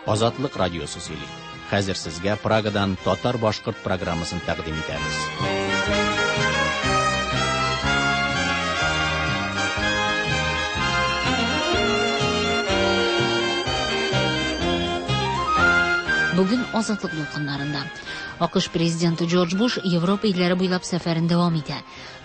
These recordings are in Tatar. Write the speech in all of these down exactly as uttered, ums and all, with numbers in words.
Азатлык радиосы сөйли. Хәзер сезгә Прагадан татар-башкорт программасын тәкъдим итәбез. Бүген Азатлык дулкыннарында А К Ш президенты Джордж Буш Европа илләре буйлап сәфәрен дәвам итә.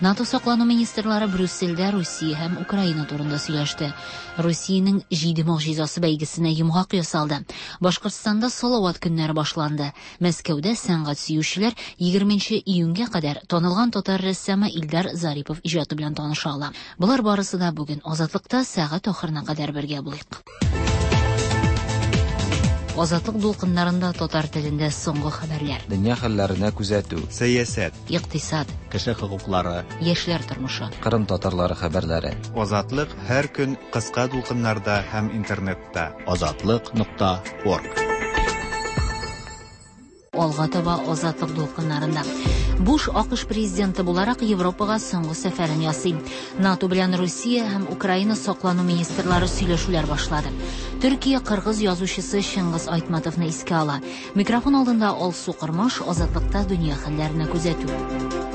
НАТО саклану министрлары Брюссельдә Русия һәм Украина турында сөйләште. Русиянең җиде могҗизасы бәйгесенә йомгак ясалды. Башкортстанда Салават көннәре башланды. Мәскәүдә сәнгать сөючеләр егерменче июньгә кадәр танылган татар рәссамы Илдар Зарипов иҗаты белән таныша ала. Болар барысы да бүген Азатлыкта сәгать ахырына кадәр бергә булыйк. Азатлык дулкыннарында татар телендә соңгы хәбәрләр. Дөнья хәлләренә күзәтү. Сәясәт. Икътисад. Кеше хокуклары. Яшьләр тормышы. Кырым татарлары хәбәрләре. Азатлык һәр көн кыска дулкыннарда һәм интернетта. Азатлык нокта орг. Алга таба Азатлык дулкыннарында. Буш А К Ш президенты буларак Европага соңгы сәфәрен ясый. НАТО белән Русия һәм Украина саклану министрлары сөйләшүләр башлады. Төркия кыргыз язучысы Чыңгыз Айтматовны искә ала. Микрофон алдында Алсу Кырмаш, Азатлыкта дөнья хәлләренә күзәтү.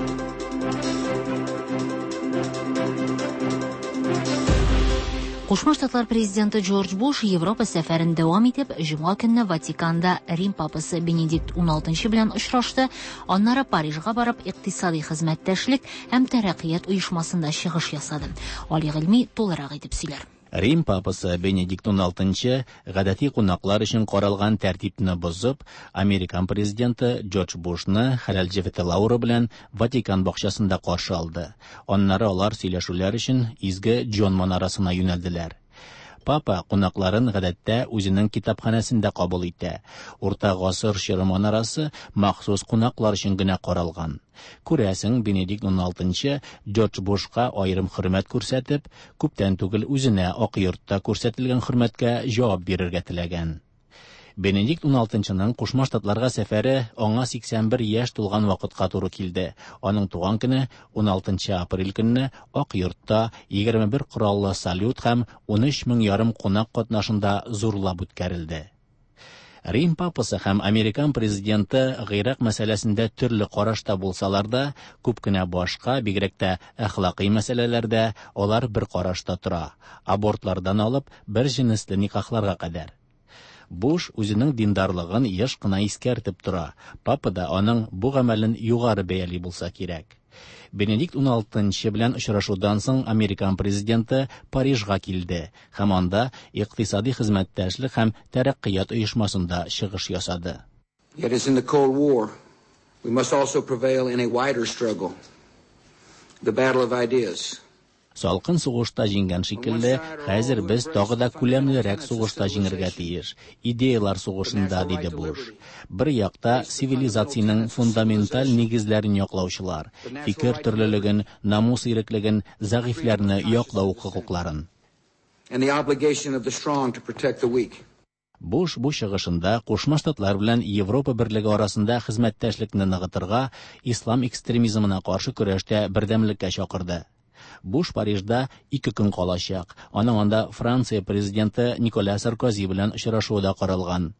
Кушма Штатлар президенты Джордж Буш Европа сәфәрен дәвам итеп, җомга көнне Ватиканда Рим папасы Бенедикт уналтынчы белән очрашты, аннары Парижга барып икътисади хезмәттәшлек һәм тәрәккыят оешмасында чыгыш ясады. Али Гыйльми тулырак итеп сөйләр. Рим папасы Бенедикт уналтынчы гадәти кунаклар өчен каралган тәртипне бозып, Американ президенты Джордж Бушны хәләл җефете Лаура белән Ватикан бакчасында каршы алды. Аннары алар сөйләшүләр өчен Изге Джон манарасына юнәлделәр. Папа кунакларын гадәттә үзенең китапханәсендә кабул итә. Урта гасыр чоры манарасы махсус кунаклар өчен генә каралган. Күрәсең, Бенедикт уналтынчы Джордж Бушка аерым хөрмәт күрсәтеп, күптән түгел үзенә Ак йортта күрсәтелгән хөрмәткә җавап бирергә теләгән. Бенедикт уналтынчының Кушма Штатларга сәфәре аңа сиксән бер яшь тулган вакытка туры килде. Аның туган көне уналтынчы апрель көнне Ак йортта егерме бер кораллы салют һәм унөч мең ярым кунак катнашында зурлап үткәрелде. Рим папасы һәм Американ президенты Гыйрак мәсьәләсендә төрле карашта булсалар да, күп кенә башка, бигрәк тә әхлакый мәсьәләләрдә алар бер карашта тора. Абортлардан алып бер җенесле никахларга кадәр. Буш үзенең диндарлыгын еш кына искәртеп тора. Папа да аның бу гамәлен югары бәяли булса кирәк. Бенедикт уналтынчы белән очрашудан соң Американ президенты Парижга килде һәм анда икътисади хезмәттәшлек һәм тәрәккыят оешмасында чыгыш ясады. Yet as in the Cold War, we must also prevail in a wider struggle, the battle of ideas. Салкын сугышта җиңгән шикелле, хәзер без тагы да күләмлерәк сугышта җиңергә тиеш. Идеялар сугышында, диде Буш. Бер якта цивилизациянең фундаменталь нигезләрен яклаучылар, фикер төрлелеген, намус иреклеген, зәгыйфьләрне яклау хокукларын. And the obligation of the strong to protect the weak. Буш бу чыгышында Кушма Штатлар белән Европа берлеге арасында хезмәттәшлекне ныгытырга, ислам экстремизмына каршы көрәштә бердәмлеккә чакырды. Буш Парижда ике көн калачак. Аның анда Франция президенты Николя Саркози белән очрашуы да каралган.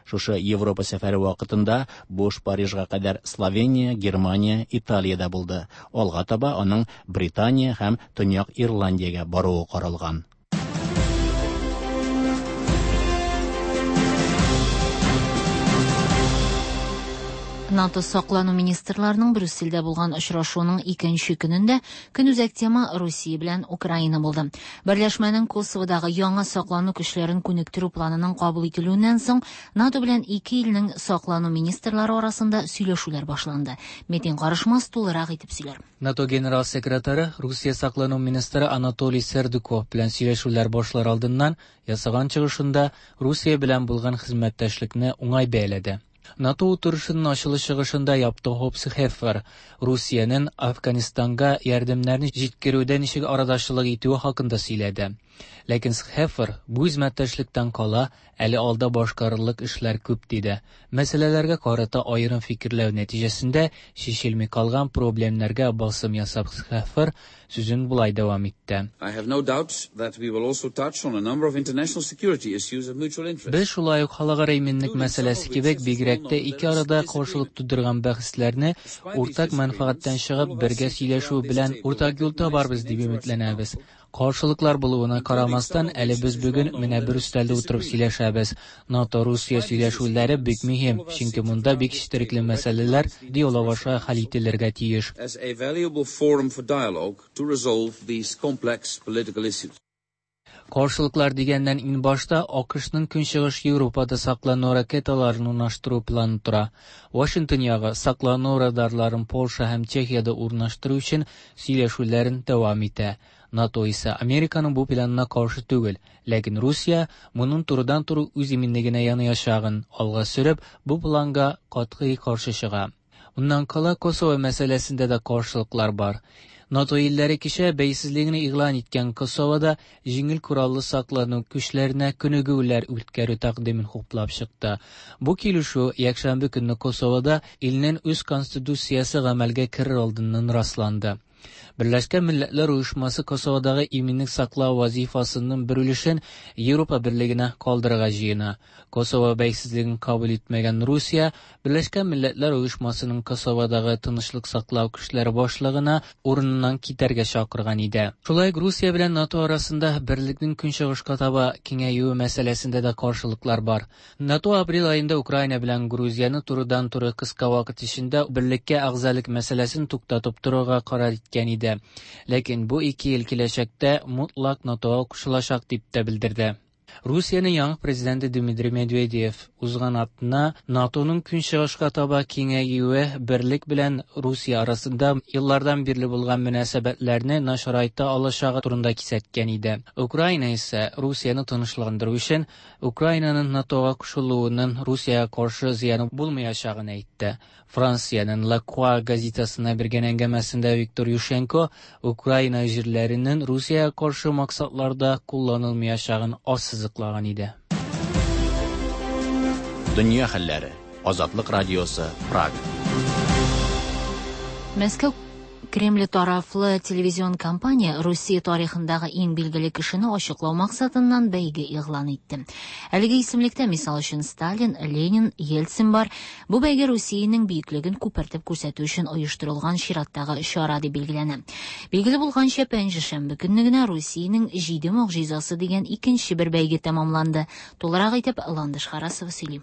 Шушы Европа сәфәре вакытында Буш Парижга кадәр Словения, Германия, Италиядә булды. Алга таба аның Британия һәм Төньяк Ирландиягә баруы каралган. НАТО саклану министрларының Брюссельдә булган очрашуының икенче көнендә көнүзәк тема Русия белән Украина булды. Берләшмәнең Косоводагы яңа саклану көчләрен күнектерү планының кабул ителүеннән соң НАТО белән ике илнең саклану министрлары арасында сөйләшүләр башланды. Метин Карышмас тулырак итеп сөйләр. НАТО генерал секретаре Русия саклану министры Анатолий Сердюков белән сөйләшүләр башлар алдыннан ясаган чыгышында Русия белән булган хезмәттәшлекне уңай бәяләде. NATO oturuşunun açılış чыгышында yaptığı Hope Schaefer, Rusiyanın Afganistanга ярдәмнәрне җиткерүдә ничек арадашчылык итүе хакында сөйләде. Ләкин Schaefer бу хезмәттәшлектән кала әле алда башкарырлык эшләр күп диде. Мәсьәләләргә карата аерым фикерләү нәтиҗәсендә чишелми калган проблемнәргә басым ясап Schaefer сүзен болай дәвам итте. I have no doubt that we will also touch on a number of international security issues of mutual interest. Без шулай ук халыкара иминлек мәсьәләсе кебек бигрәк тә ике арада каршылык тудырган бәхәсләрне уртак мәнфәгатьтән чыгып бергә сөйләшү белән уртак юл табарбыз дип өметләнәбез. Каршылыклар булуына карамастан, әле без бүген менә бер өстәлдә утырып сөйләшәбез. НАТО Русия сөйләшүләре бик мөһим, чөнки монда бик четерекле мәсьәләләр диалог аша хәл ителергә тиеш. As a valuable forum for dialogue to resolve these complex political issues. Каршылыклар дигәннән иң башта АКШның Көнчыгыш Европада саклану ракеталарын урнаштыру планы тора. Вашингтон ягы саклану радарларын Польша һәм Чехиядә урнаштыру өчен сөйләшүләрен дәвам итә. НАТО исә Американың бу планына каршы түгел, ләкин Русия моның турыдан-туры үз иминлегенә янаячагын алга сөреп, бу планга катгый каршы чыга. Моннан кала Косово мәсьәләсендә дә каршылыклар бар. НАТО илләре кичә бәйсезлеген игълан иткән Косовода җиңел кораллы саклану көчләренә күнегүләр үткәрү тәкъдимен хуплап чыкты. Бу килешү якшәмбе көнне Косовода илнең үз конституциясе гамәлгә керер алдыннан расланды. Берләшкән Милләтләр Оешмасы Косоводагы иминлек саклау вазифасының бер өлешен Европа Берлегенә калдырырга җыена. Косово бәйсезлеген кабул итмәгән Русия Берләшкән Милләтләр Оешмасының Косоводагы тынычлык саклау көчләре башлыгына урыныннан китәргә чакырган иде. Шулай ук Русия белән НАТО арасында берлекнең көнчыгышка таба киңәюе мәсьәләсендә дә каршылыклар бар. НАТО апрель аенда Украина белән Грузияне турыдан-туры кыска вакыт эчендә берлеккә әгъзалык мәсьәләсен туктатып торырга карар иткән иде. Ләкин бу ике ел киләчәктә мотлак НАТОга кушылачак дип тә белдерде. Русиянең яңа президенты Дмитрий Медведев узган атна НАТОның көнчыгышка таба киңәюе берлек белән Русия арасында еллардан бирле булган мөнәсәбәтләрне начарайта алачагы турында кисәткән иде. Украина исә Русияне тынычландыру өчен Украинаның НАТОга кушылуының Русиягә каршы зыяны булмаячагын әйтте. Франциянең La Croix газетасына биргән әңгәмәсендә Виктор Ющенко Украина җирләренең Русиягә каршы максатларда кулланылмаячагын ассызыклаган иде. Дөнья хәлләре. Азатлык радиосы, Прага. Мәскәү Кремль тарафлы телевизион компания Русия тарихындагы иң билгеле кешене ачыклау максатыннан бәйге игълан итте. Әлеге исемлектә, мисал өчен, Сталин, Ленин, Ельцин бар. Бу бәйге Русиянең бөеклеген күпертеп күрсәтү өчен оештырылган чираттагы чара дип билгеләнә. Билгеле булганча, пәнҗешәмбе көнне генә Русиянең җиде могҗизасы дигән икенче бер бәйге тәмамланды. Тулырак итеп Ландыш Харасова сөйли.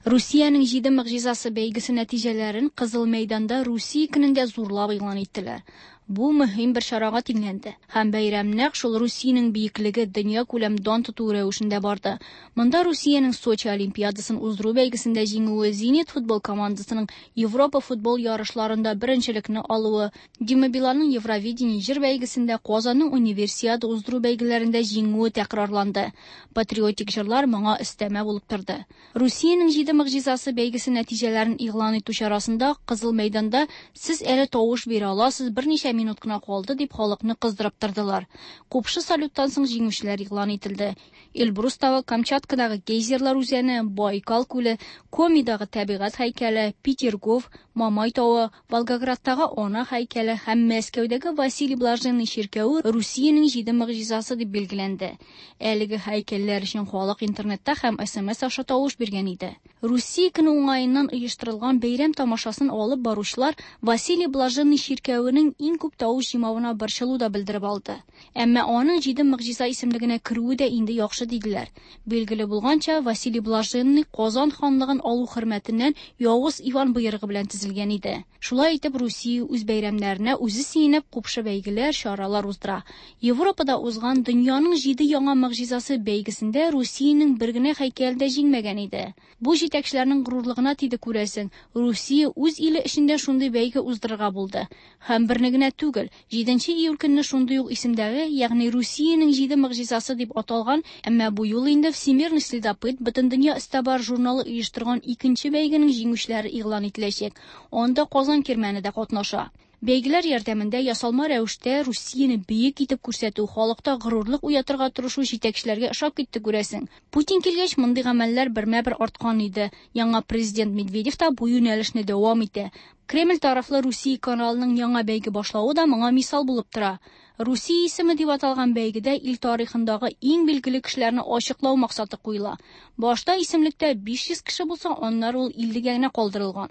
Русиянең җиде могҗизасы бәйгесе нәтиҗәләрен Кызыл мәйданда Русия көнендә зурлап игълан иттеләр. Бу мөһим бер чарага тиңләнде. Һәм бәйрәм нәкъ шул Русиянең бөеклеге дөнья күләм дан тоту рәвешендә барды. Монда Русиянең Сочи Олимпиадасын уздыру бәйгесендә җиңүе, Зенит футбол командасының Европа футбол ярышларында беренчелекне алуы, Дима Биланның Евровидение җыр бәйгесендә Казанның универсиада уздыру бәйгеләрендә җиңүе тәкрарланды. Патриотик җырлар моңа өстәмә булып торды. Русиянең җиде могҗизасы бәйгесе нәтиҗәләрен игълан итү чарасында Кызыл мәйданда сез әле тавыш бирә аласыз, берничә минут кына калды дип халыкны кыздырып тордылар. Купшы салюттан соң җиңүчеләр игълан ителде. Эльбрус тавы, Камчаткадагы гейзерлар үзәне, Байкал күле, Комидагы табигать һәйкәле, Петергоф, Мамай тавы, Волгоградтагы Ана һәйкәле һәм Мәскәүдәге Василий Блаженный чиркәве Русиянең җиде могҗизасы дип билгеләнде. Әлеге һәйкәлләр өчен халык интернетта һәм Эс Эм Эс аша тавыш биргән иде. Русия көне уңаеннан оештырылган бәйрәм тамашасын алып баручылар Василий Блаженный чиркәвенең иң күп тавыш җыймавына борчылу да белдереп алды. Әмма аның җиде могҗиза исемлегенә керүе дә инде яхшы диделәр. Билгеле булганча, Василий Блаженный Казан ханлыгын алу хөрмәтеннән Явыз Иван боерыгы белән төзелгән иде. Шулай итеп, Русия үз бәйрәмнәренә үзе сөенеп купшы бәйгеләр, чаралар уздыра. Европада узган дөньяның җиде яңа могҗизасы бәйгесендә Русиянең бер генә һәйкәле дә җиңмәгән иде. Бу җитәкчеләрнең горурлыгына тиде, күрәсең. Русия үз иле эчендә шундый бәйге уздырырга булды. Һәм берне генә түгел. Җиденче июль көнне шундый ук исемдәге, ягъни Русиянең җиде могҗизасы дип аталган, әмма бу юлы инде Всемирный следопыт Бөтендөнья эзтабар журналы оештырган икенче бәйгенең җиңүчеләре игълан ителәчәк. Анда Казан Кирмәне дә катнаша. Бәйгеләр ярдәмендә ясалма рәвештә Русияне бөек итеп күрсәтү, халыкта горурлык уятырга тырышу җитәкчеләргә ошап китте, күрәсең. Путин килгәч, мондый гамәлләр бермә-бер арткан иде. Яңа президент Медведев та бу юнәлешне дәвам итә. Кремль тарафлы Русия каналының яңа бәйге башлавы да моңа мисал булып тора. Русия исеме дип аталган бәйгедә ил тарихындагы иң билгеле кешеләрне ачыклау максаты куела. Башта исемлектә биш йөз кеше булса, аннары ул иллегә генә калдырылган.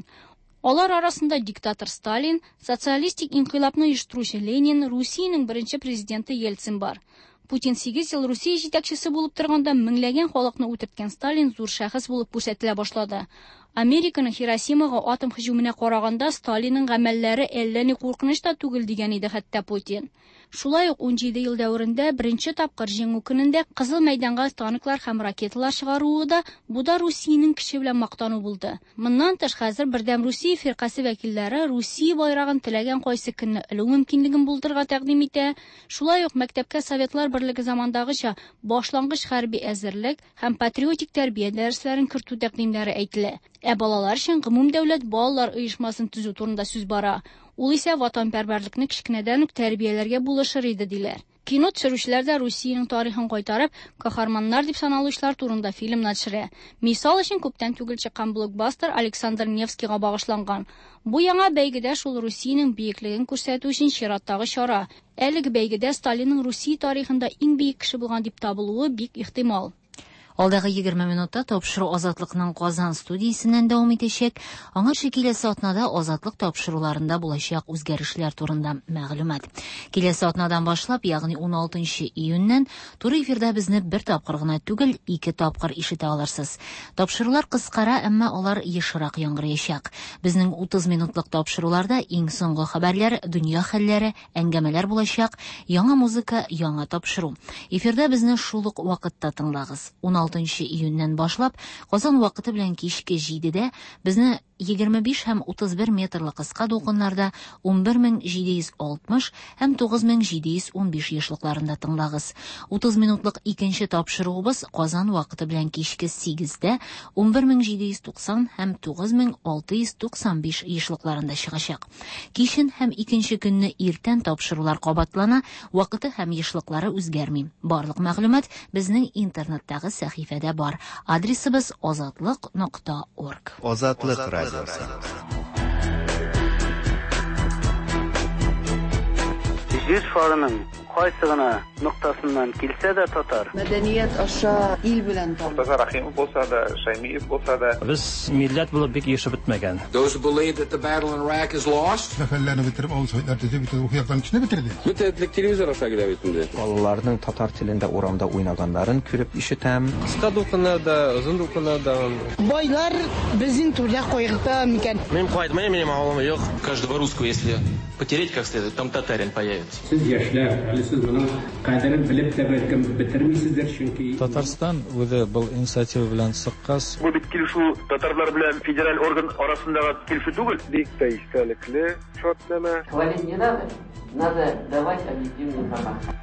Алар арасында диктатор Сталин, социалистик инкыйлабны оештыручы Ленин, Русиянең беренче президенты Ельцин бар. Путин сигез ел Русия җитәкчесе булып торганда меңләгән халыкны үтерткән Сталин зур шәхес булып күрсәтелә башлады. Американың Хиросимага атом һөҗүменә караганда Сталинның гамәлләре әллә ни куркыныч та түгел дигән иде хәтта Путин. Шулай ук ун җиде ел дәверендә беренче тапкыр җиңү көнендә Кызыл мәйданга танклар һәм ракеталар чыгаруы да бу да Русиянең көче белән мактану булды. Моннан тыш хәзер Бердәм Русия фиркасе вәкилләре Русия байрагын теләгән кайсы көнне элү мөмкинлеген булдырырга тәкъдим итә. Шулай ук мәктәпкә Советлар Берлеге замандагыча башлангыч хәрби әзерлек һәм патриотик тәрбия дәресләрен кертү тәкъдимнәре әйтелә. Ә балалар өчен гомумдәүләт балалар оешмасын төзү турында сүз бара. Ул исә ватанпәрвәрлекне кечкенәдән үк тәрбияләргә булышыр иде диләр. Кино төшерүчеләр дә Русиянең тарихын кайтарып, каһарманнар дип саналучылар турында фильмнар төшерә. Мисал өчен күптән түгел чыккан блокбастер Александр Невскийга багышланган. Бу яңа бәйгедә шул Русиянең бөеклеген күрсәтү өчен чираттагы чара. Әлеге бәйгедә Сталинның Русия тарихында иң бөек кеше булган дип табылуы бик ихтимал. Алдагы егерме минутта тапшыру Азатлыкның Казан студиясеннән дәвам итәчәк. Аңарчы киләсе атнада Азатлык тапшыруларында булачак үзгәрешләр турында мәгълүмат. Киләсе атнадан башлап, ягъни ун алтынчы июньнән туры эфирда безне бер тапкыр гына түгел, ике тапкыр ишетә алырсыз. Тапшырулар кыскара, әмма алар ешрак яңгыраячак. Безнең утыз минутлык тапшыруларда иң соңгы хәбәрләр, дөнья хәлләре, әңгәмәләр булачак, яңа музыка, яңа тапшыру. Эфирда безне шул ук вакытта тыңлагыз. ун алтынчы июньнән башлап, Казан вакыты белән кичке җидедә безне егерме биш һәм утыз бер метрлы кыска дулкыннарда ун бер мең җиде йөз алтмыш һәм тугыз мең җиде йөз ун биш ешлыкларында тыңлагыз. Утыз минутлык икенче тапшыруыбыз Казан вакыты белән кичке сигездә ун бер мең җиде йөз туксан һәм тугыз мең алты йөз туксан биш ешлыкларында чыгачак. Кичен һәм икенче көнне иртән тапшырулар кабатлана, вакыты һәм ешлыклары үзгәрми. Барлык мәгълүмат безнең интернеттагы сәхифәдә бар. Адресыбыз азатлык нокта орг. Азатлык радиосы. Җир шарының кайсы гына ноктасыннан килсә дә татар. Мәдәният аша ил белән таныш. Мортаза Рахимов булса да, Шаймиев булса да. Без милләт булып бик ешып бетмәгән. Those who believe that the battle in Iraq is lost. Сәфәрләрне бетереп, авыл советлар төзеп, бөтен рухи яктан көчне бетерде. Бөтен телевизор аша килә бит инде. Балаларның татар телендә урамда уйнаганнарын күреп ишетәм. Кыска дулкыннарда, озын дулкыннарда. Байлар безнең түрдә кайгырта микән? Мин кайтмыйм, минем авылым юк. Каждого русского, если потереть как следует, там татарин появится. Сез яшьләр, әле сез моның кадерен белеп тә бәлкем бетермисездер, чөнки Татарстан үзе был инициатива белән чыккач. Бу бит килешү татарлар белән федераль орган арасындагы килешү түгел. Бик тә истәлекле шартнамә. Хвалить не надо, надо давать объективную информацию.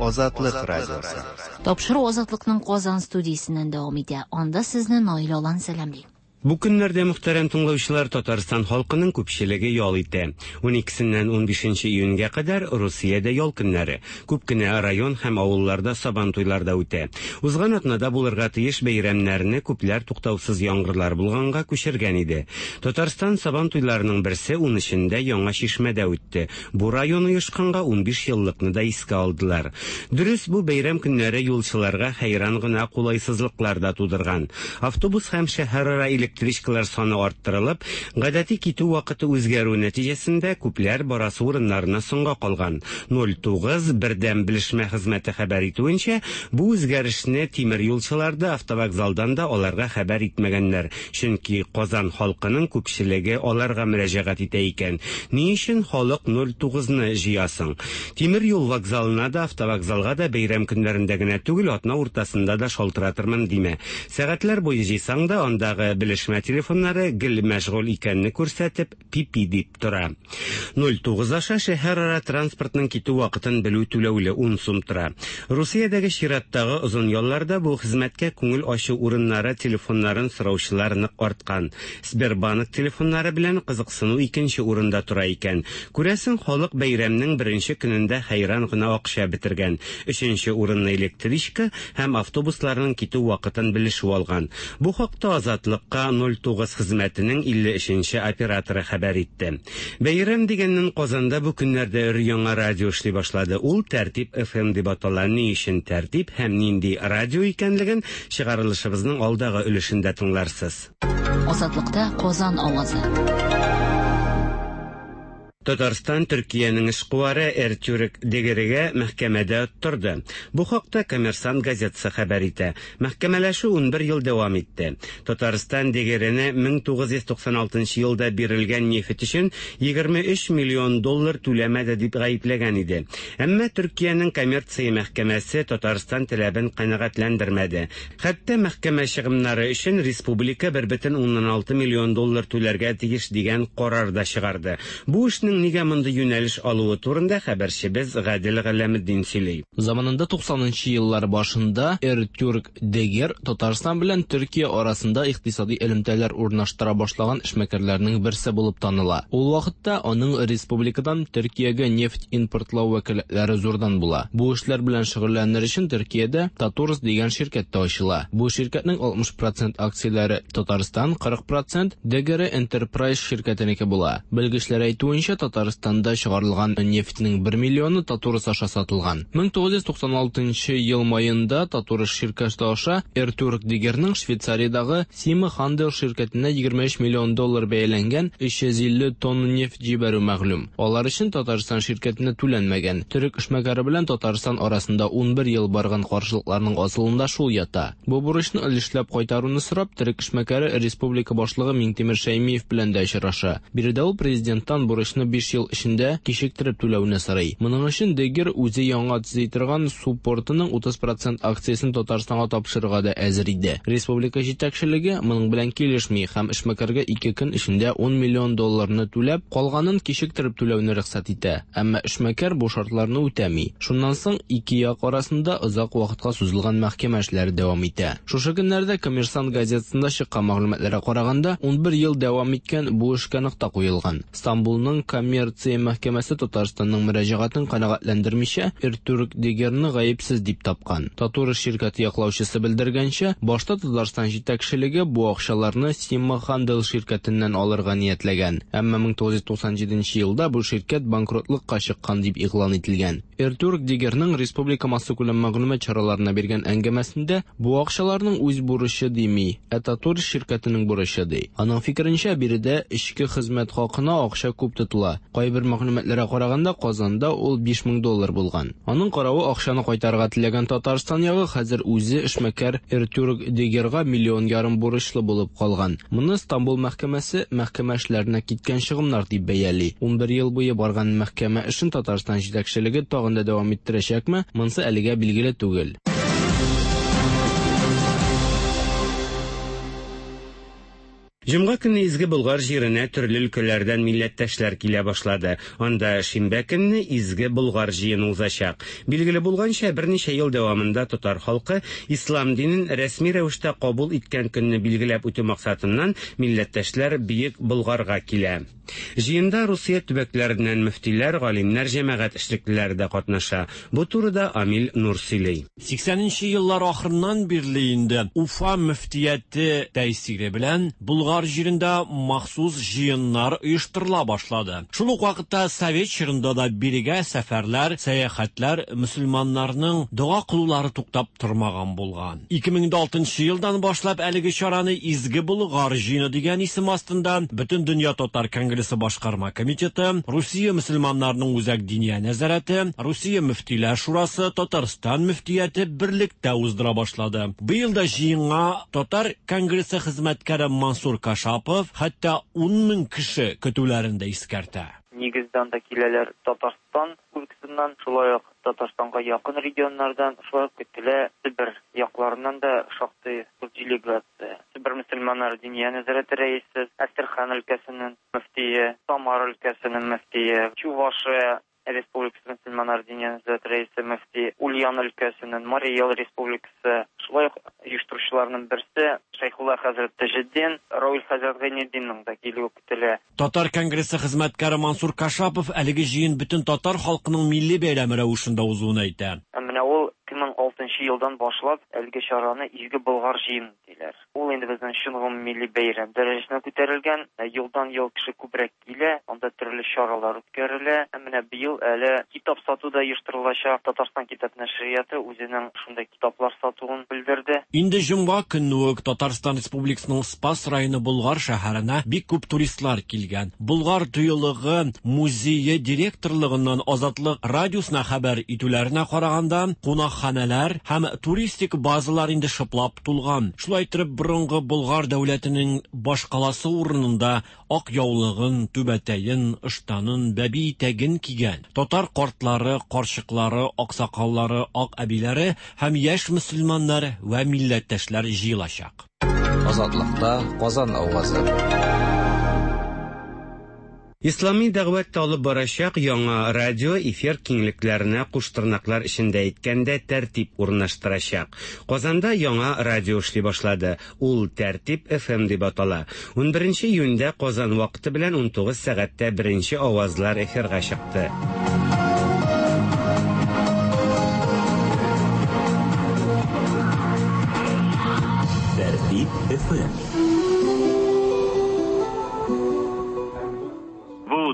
Азатлык радиосы. Тапшыру Азатлыкның Казан студиясеннән дәвам итә. Анда сезне Наил Алан сәламли. Бу көннәрдә мөхтәрәм тыңлаучылар, Татарстан халкының күпчелеге ял итә. ун икесеннән ун бишенче июньгә кадәр Русиядә ял көннәре. Күп кенә район һәм авылларда сабан туйларда үтә. Узган атнада булырга тиеш бәйрәмнәрне күпләр туктаусыз яңгырлар булганга күчергән иде. Татарстан сабан туйларының берсе ун өчендә Яңа Чишмәдә үтте. Бу район оешканга ун биш еллыкны да искә алдылар. Дөрес, бу бәйрәм көннәре юлчыларга хәйран гына кулайсызлыклар да тудырган. Автобус һәм шәһәрара электричкалар саны арттырылып, гадәти китү вакыты үзгәрү нәтиҗәсендә күпләр барасы урыннарына соңга калган. ноль тугыз бердәм белешмә хезмәте хәбәр итүенчә, бу үзгәрешне тимер юлчылар да, автовокзалдан да аларга хәбәр итмәгәннәр, чөнки Казан халкының күпчелеге аларга мөрәҗәгать итә икән. Ни өчен халык ноль тугызны җыясың? Тимер юл вокзалына да, автовокзалга да бәйрәм көннәрендә генә түгел, атна уртасында да шалтыратырмын димә. Сәгатьләр буе җыйсаң да, андагы белеш Белешмә телефоннары гел мәшгуль икәнне күрсәтеп, пи-пи дип тора. ноль тугыз аша шәһәрара транспортның китү вакытын белү түләүле ун сум тора. Русиядәге чираттагы озын ялларда бу хезмәткә күңел ачу урыннары телефоннарын сораучылар нык арткан. Сбербанк телефоннары белән кызыксыну икенче урында тора икән. Күрәсең, халык бәйрәмнең беренче көнендә хәйран гына акча бетергән. Өченче урынны электричка һәм автобусларның китү вакытын белешү алган. Бу хакта Азатлыкка ноль тугыз хезмәтенең илле өченче операторы хәбәр итте. Бәйрәм дигәннән Казанда бу көннәрдә өр-яңа радио эшли башлады. Ул Тәртип эф эм дип атала. Ни өчен Тәртип һәм нинди радио икәнлеген чыгарылышыбызның алдагы өлешендә тыңларсыз. Азатлыкта Казан авазы. Татарстан Төркиянең эшкуары Эртюрк Дегерегә мәхкәмәдә оттырды. Бу хакта Коммерсант газетасы хәбәр итә. Мәхкәмәләшү унбер ел дәвам итте. Татарстан Дегерене мең тугыз йөз туксан алтынчы елда бирелгән нефть өчен егерме өч миллион доллар түләмәде дип гаепләгән иде. Әмма Төркиянең коммерция мәхкәмәсе Татарстан таләбен канәгатьләндермәде. Хәтта мәхкәмә чыгымнары өчен республика бер бөтен уннан алты миллион доллар түләргә тиеш дигән карар да чыгарды. Бу эшнең нигә мондый юнәлеш алуы турында хәбәрчебез Гадел Галәметдин сөйли. Заманында туксанынчы еллар башында Эртюрк Дегер Татарстан белән Төркия арасында икътисади элемтәләр урнаштыра башлаган эшмәкәрләрнең берсе булып таныла. Ул вакытта аның республикадан Төркиягә нефть импортлау вәкаләтләре зурдан була. Бу эшләр белән шөгыльләнер өчен Төркиядә Татурс дигән ширкәт тә ачыла. Бу ширкәтнең алтмыш процент акцияләре Татарстан, кырык процент Дегер Enterprise ширкәтенеке була. Белгечләр әйтүенчә, Татарстанда чыгарылган нефтьнең бер миллионы Татурс аша сатылган. мең тугыз йөз туксан алтынчы ел майында Татурс ширкәте аша Эртюрк Дегернең Швейцариядагы Сима Хандел ширкәтенә егерме өч миллион доллар бәяләнгән өч йөз илле тонна нефть җибәрү мәгълүм. Алар өчен Татарстан ширкәтенә түләнмәгән. Төрек эшмәкәре белән Татарстан арасында унбер ел барган каршылыкларның асылында шул ята. Бу бурычны өлешләп кайтаруны сорап, төрек эшмәкәре республика башлыгы Миңтимер Шәймиев белән дә очраша. Биредә ул президенттан бурычны биш ел эчендә кичектереп түләүне сорый. Моның өчен Дегер үзе яңа төзи торган су портының утыз процент акциясен Татарстанга тапшырырга да әзер иде. Республика җитәкчелеге моның белән килешми һәм эшмәкәргә ике көн эчендә ун миллион долларны түләп, калганын кичектереп түләүне рөхсәт итә. Әмма эшмәкәр бу шартларны үтәми. Шуннан соң ике як арасында озак вакытка сузылган мәхкәмә эшләре дәвам итә. Шушы көннәрдә Коммерсант газетасында чыккан мәгълүматларга караганда, унбер ел дәвам иткән бу эшкә нокта куелган. Стамбулның коммерция мәхкәмәсе Татарстанның мөрәҗәгатен канәгатьләндермичә, Эртюрк Дегерне гаепсез дип тапкан. Татурс ширкәте яклаучысы белдергәнчә, башта Татарстан җитәкчелеге бу акчаларны Сима Хандел ширкәтеннән алырга ниятләгән. Әмма мең тугыз йөз туксан җиденче елда бу ширкәт банкротлыкка чыккан дип игълан ителгән. Эртюрк Дегернең республика массакүләм мәгълүмат чараларына биргән әңгәмәсендә бу акчаларның үз бурычы дими, ә Татурс ширкәтенең бурычы ди. Аның фикеренчә, биредә эчке хезмәт хакына акча күп тотыла. Кайбер мәгълүматларга караганда, Казанда ул биш мең доллар булган. Аның каравы акчаны кайтарырга теләгән Татарстан ягы хәзер үзе эшмәкәр Эртюрк Дегерга миллион ярым бурычлы булып калган. Моны Стамбул мәхкәмәсе мәхкәмә эшләренә киткән чыгымнар дип бәяли. Унбер ел буе барган мәхкәмә эшен Татарстан җитәкчелеге тагын да дәвам иттерәчәкме, монысы әлегә билгеле түгел. Җомга көнне Изге Болгар җиренә төрле өлкәләрдән милләттәшләр килә башлады. Анда шимбә көнне Изге Болгар җыены узачак. Билгеле булганча, берничә ел дәвамында татар халкы ислам динен рәсми рәвештә кабул иткән көнне билгеләп үтү максатыннан милләттәшләр Бөек Болгарга килә. Җыенда Русия төбәкләреннән мөфтиләр, галимнәр, җәмәгать эшлеклеләре дә катнаша. Бу турыда Амил Нур сөйли. Сиксәненче еллар ахырыннан бирле инде Уфа мөфтияте тәэсире белән Болгар җирендә махсус җыеннар оештырыла башлады. Шул ук вакытта совет чорында да бирегә сәфәрләр, сәяхәтләр, мөселманнарның дога кылулары туктап тормаган булган. Ике мең алтынчы елдан башлап әлеге чараны Изге Болгар җыены дигән исем астында Бөтен дөнья татар конгрессы башкарма комитеты, Русия мөселманнарының үзәк диния нәзарәте, Русия мөфтиләр шурасы, Татарстан мөфтияте берлектә уздыра башлады. Быел да җыенга татар конгрессы хезмәткәре Мансур Кашапов хәтта ун мең кеше көтүләрен дә искәртә. Нигездән дә киләләр Татарстан өлкәсеннән, шулай ук Татарстанга якын регионнардан, шулай ук көтелә Себер якларыннан да шактый зур делегация. Себер мөселманнары Диния нәзарәте рәисе, Әстерхан өлкәсенең мөфтие, Самара өлкәсенең мөфтие, Чувашия Республикасы мөселманнары Диния нәзарәте рәисе мөфти, Ульян өлкәсенең, Марий Эл Республикасы, шулай ук оештыручыларның берсе Шәйхулла хәзрәт Таҗетдин, Равил хәзрәт Гайнетдинның да килүе көтелә. Татар конгрессы хезмәткәре Мансур Кашапов әлеге җыен бөтен татар халкының милли бәйрәме рәвешендә узуын әйтә. Менә ул ике мең алтынчы елдан башлап әлеге чараны Изге Болгар җыены диләр. Ул инде безнең чын гомуммилли бәйрәм дәрәҗәсенә күтәрелгән. Елдан-ел кеше күбрәк килә, анда төрле чаралар үткәрелә. Менә быел әле китап сату да оештырылачак. Татарстан китап нәшрияты үзенең шундай китаплар сатуын белдерде. Инде җомга көнне үк Татарстан Республикасының Спас районы Болгар шәһәренә бик күп туристлар килгән. Болгар тыюлыгы музее директорлыгыннан Азатлык радиосына хәбәр итүләренә караганда, кунакханәләр һәм туристик базалар инде шыплап тулган. Шулай итеп, борынгы Болгар дәүләтенең башкаласы урынында ак яулыгын, түбәтәен, ыштанын, бәби итәген кигән татар картлары, карчыклары, аксакаллары, ак әбиләре һәм яшь мөселманнар вә милләттәшләр җыелачак. Азатлыкта Казан авазы. Ислами дәгъват алып барачак яңа радио эфир киңлекләренә куштырнаклар эчендә әйткәндә тәртип урнаштырачак. Казанда яңа радио эшли башлады. Ул Тәртип эф эм дип атала. ун беренче июньдә Казан вакыты белән ун тугыз сәгатьтә беренче авазлар эфирга чыкты. Тәртип эф эм.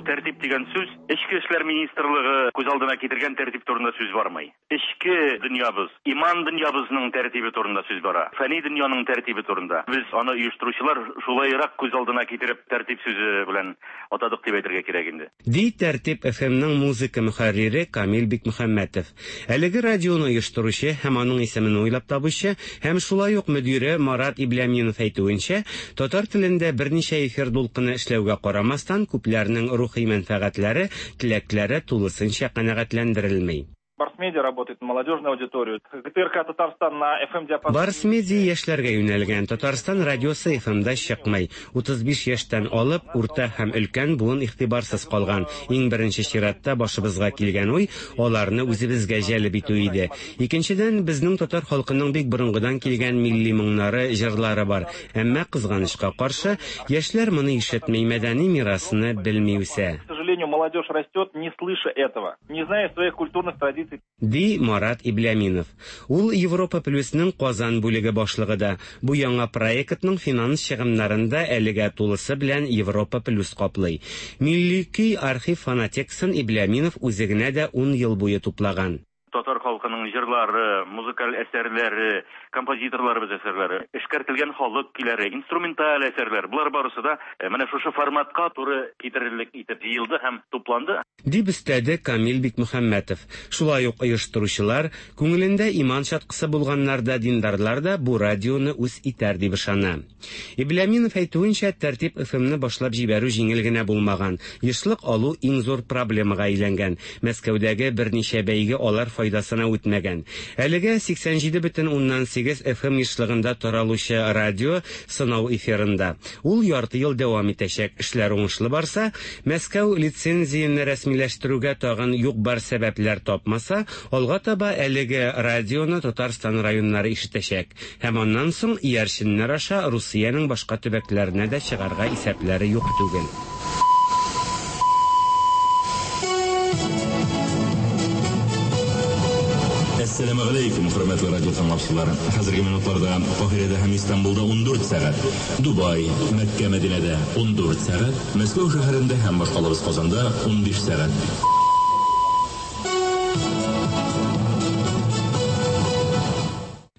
Тәртип дигән сүз Эчке эшләр министрлыгы күз алдына китергән тәртип турында сүз бармый. Эчке дөньябыз, иман дөньябызның тәртибе турында сүз бара. Фәни дөньяның тәртибе турында. Без аны оештыручылар шулайрак күз алдына китереп тәртип сүзе белән атадык дип әйтергә кирәк инде. Ди Тәртип эф эм-ның музыка мөхәррире Камил Бикмөхәммәтов. Әлеге радионы оештыручы һәм аның исемен уйлап табучы һәм шулай ук мөдире Марат Ибляминов әйтүенчә, татар телендә берничә эфир дулкыны эшләүгә карамастан, күпләрнең рухи мәнфәгатьләре, теләкләре тулысынча канәгатьләндерелми. Барс-медиа работает на молодежную аудиторию. ГТРК Татарстан на эф эм диапазоне. Барс-медиа яшьләргә юнәлгән. Татарстан радиосы эф эм-да чыкмый. утыз биш яшьтән алып, урта һәм өлкән буын игътибарсыз калган. Иң беренче чиратта башыбызга килгән уй аларны үзебезгә җәлеп итү иде. Икенчедән, безнең татар халкының бик борынгыдан килгән милли моңнары, җырлары бар. Әмма кызганычка каршы, яшьләр моны ишетми, мәдәни мирасны белми үсә. К сожалению, молодежь растет, не слыша этого, не зная своих культурных традиций. Ди Марат Ибляминов. Ул Европа Плюсның Казан бүлеге башлыгы да. Бу яңа проектның финанс чыгымнарын да әлегә тулысы белән Европа Плюс каплый. Милли көй архив фонотекасын Ибляминов үзе генә дә ун ел буе туплаган. Татар халкының җырлары, музыкаль әсәрләре, композиторларыбыз әсәрләре, эшкәртелгән халык көйләре, инструменталь әсәрләр, болар барысы да менә шушы форматка туры китерерлек итеп җыелды һәм тупланды. Дип өстәде Камил Бикмөхәммәтов. Шулай ук оештыручылар, күңелендә иман чаткысы булганнар да, диндарлар да бу радионы үз итәр дип ышана. Ибляминов әйтүенчә, Тәртип эф эм-ны башлап җибәрү җиңел генә булмаган. Ешлык алу иң зур проблемага әйләнгән. Мәскәүдәге берничә бәйге алар файдасына үтмәгән. Әлегә сиксән җиде бөтен уннан сигез эф эм ешлыгында таралучы радио сынау эфирында. Ул ярты ел дәвам итәчәк. Эшләр уңышлы барса, Мәскәү лицензияне рәсмиләштерүгә тагын юк-бар сәбәпләр тапмаса, алга таба әлеге радионы Татарстан районнары ишетәчәк. Һәм аннан соң иярченнәр аша Русиянең башка төбәкләренә дә чыгарга исәпләре юк түгел. Әссәламү галәйкүм, хөрмәтле радио тыңлаучылар. Хәзерге минутларда Каһирәдә һәм Истанбулда ун дүрт сәгать, Дубай, Мәккә, Мәдинәдә ун дүрт сәгать, Мәскәү шәһәрендә һәм башкалабыз Казанда ун биш сәгать.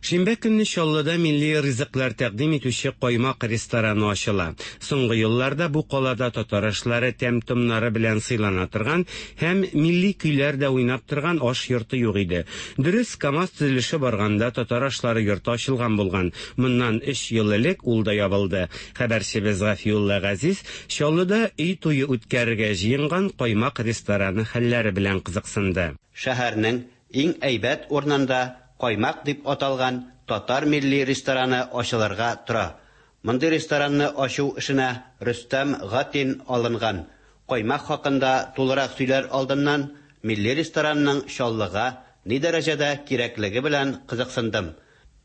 Шимбә көнне Чаллыда милли ризыклар тәкъдим итүче Каймак рестораны ачыла. Соңгы елларда бу калада татар ашлары тәм-томнары белән сыйлана торган һәм милли көйләр дә уйнап торган аш йорты юк иде. Дөрес, КАМАЗ төзелеше барганда татар ашлары йорты ачылган булган. Моннан өч ел элек ул да ябылды. Хәбәрчебез Гафиулла Газиз Чаллыда өй туе үткәрергә җыенган Каймак рестораны хәлләре белән кызыксынды. Шәһәрнең иң әйбәт урынында Каймак дип аталган татар милли рестораны ачылырга тора. Мондый ресторанны ачу эшенә Рөстәм Гатин алынган. Каймак хакында тулырак сөйләр алдыннан милли ресторанның Чаллыга ни дәрәҗәдә кирәклеге белән кызыксындым.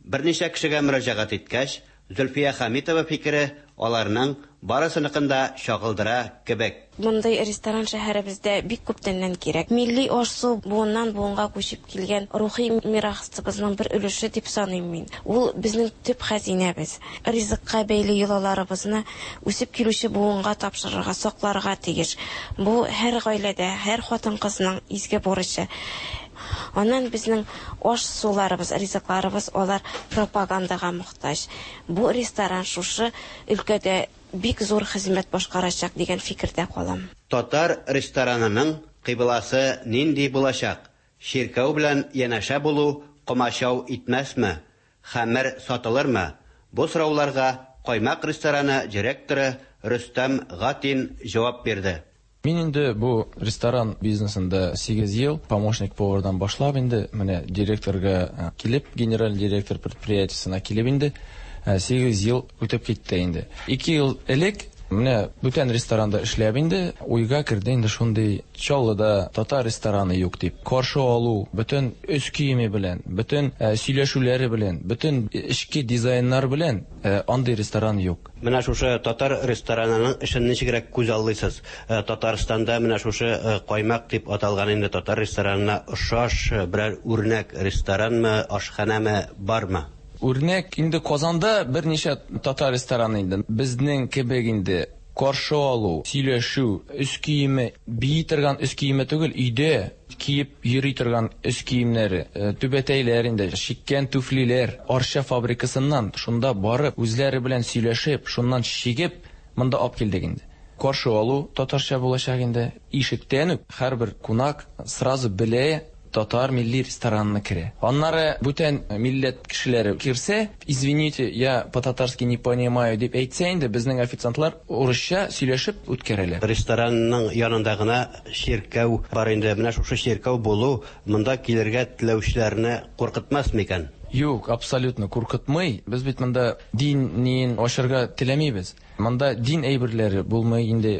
Берничә кешегә мөрәҗәгать иткәч, Зөлфия Хәмитова фикере аларның барысыныкын да чагылдыра кебек. Мондый ресторан шәһәребездә бик күптәннән кирәк. Милли аш-су буыннан буынга күчеп килгән рухи мирасыбызның бер өлеше дип саныйм мин. Ул безнең төп хәзинәбез. Ризыкка бәйле йолаларыбызны үсеп килүче буынга тапшырырга, сакларга тиеш. Бу һәр гаиләдә, һәр хатын-кызның изге бурычы. Аннан безнең аш-суларыбыз, ризыкларыбыз алар пропагандага мохтаҗ. Бу ресторан шушы өлкәдә бик зур хезмәт башкарачак дигән фикердә калам. Татар ресторанының кыйбласы нинди булачак? Чиркәү белән янәшә булу комачау итмәсме? Хәмер сатылырмы? Бу сорауларга Каймак рестораны директоры Рөстәм Гатин җавап бирде. Мин инде бу ресторан бизнесында сигез ел помощник повардан башлап инде менә директорга килеп, генераль директор предприятиесына килеп инде сигез ел үтеп китте инде. Ике ел элек менә бүтән ресторанда эшләп инде уйга керде инде шундый Чаллыда татар рестораны юк дип. Каршы алу бөтен өс киеме белән, бөтен сөйләшүләре белән, бөтен эчке дизайннар белән андый ресторан юк. Менә шушы татар ресторанының эшен ничегрәк күз аллыйсыз? Татарстанда менә шушы Каймак дип аталган инде татар ресторанына охшаш берәр үрнәк ресторанмы, ашханәме бармы? Үрнәк инде Казанда берничә татар рестораны инде. Безнең кебек инде каршы алу, сөйләшү, өс киеме, бии торган өс киеме түгел, өйдә киеп йөри торган өс киемнәре, түбәтәйләр инде, чиккән туфлиләр, Арча фабрикасыннан шунда барып, үзләре белән сөйләшеп, шуннан чигеп, монда алып килдек инде. Каршы алу татарча булачак инде. Ишектән үк һәрбер кунак сразу белә татар милли ресторанына керә. Аннары бүтән милләт кешеләре керсә, извините, я по-татарски не понимаю дип әйтсә инде, безнең официантлар урысча сөйләшеп үткәрәләр. Ресторанның янында гына чиркәү бар инде. Менә шушы чиркәү булу монда килергә теләүчеләрне куркытмас микән? Юк, абсолютно куркытмый. Без бит монда дин ачарга теләмибез. Монда дин әйберләре булмый инде,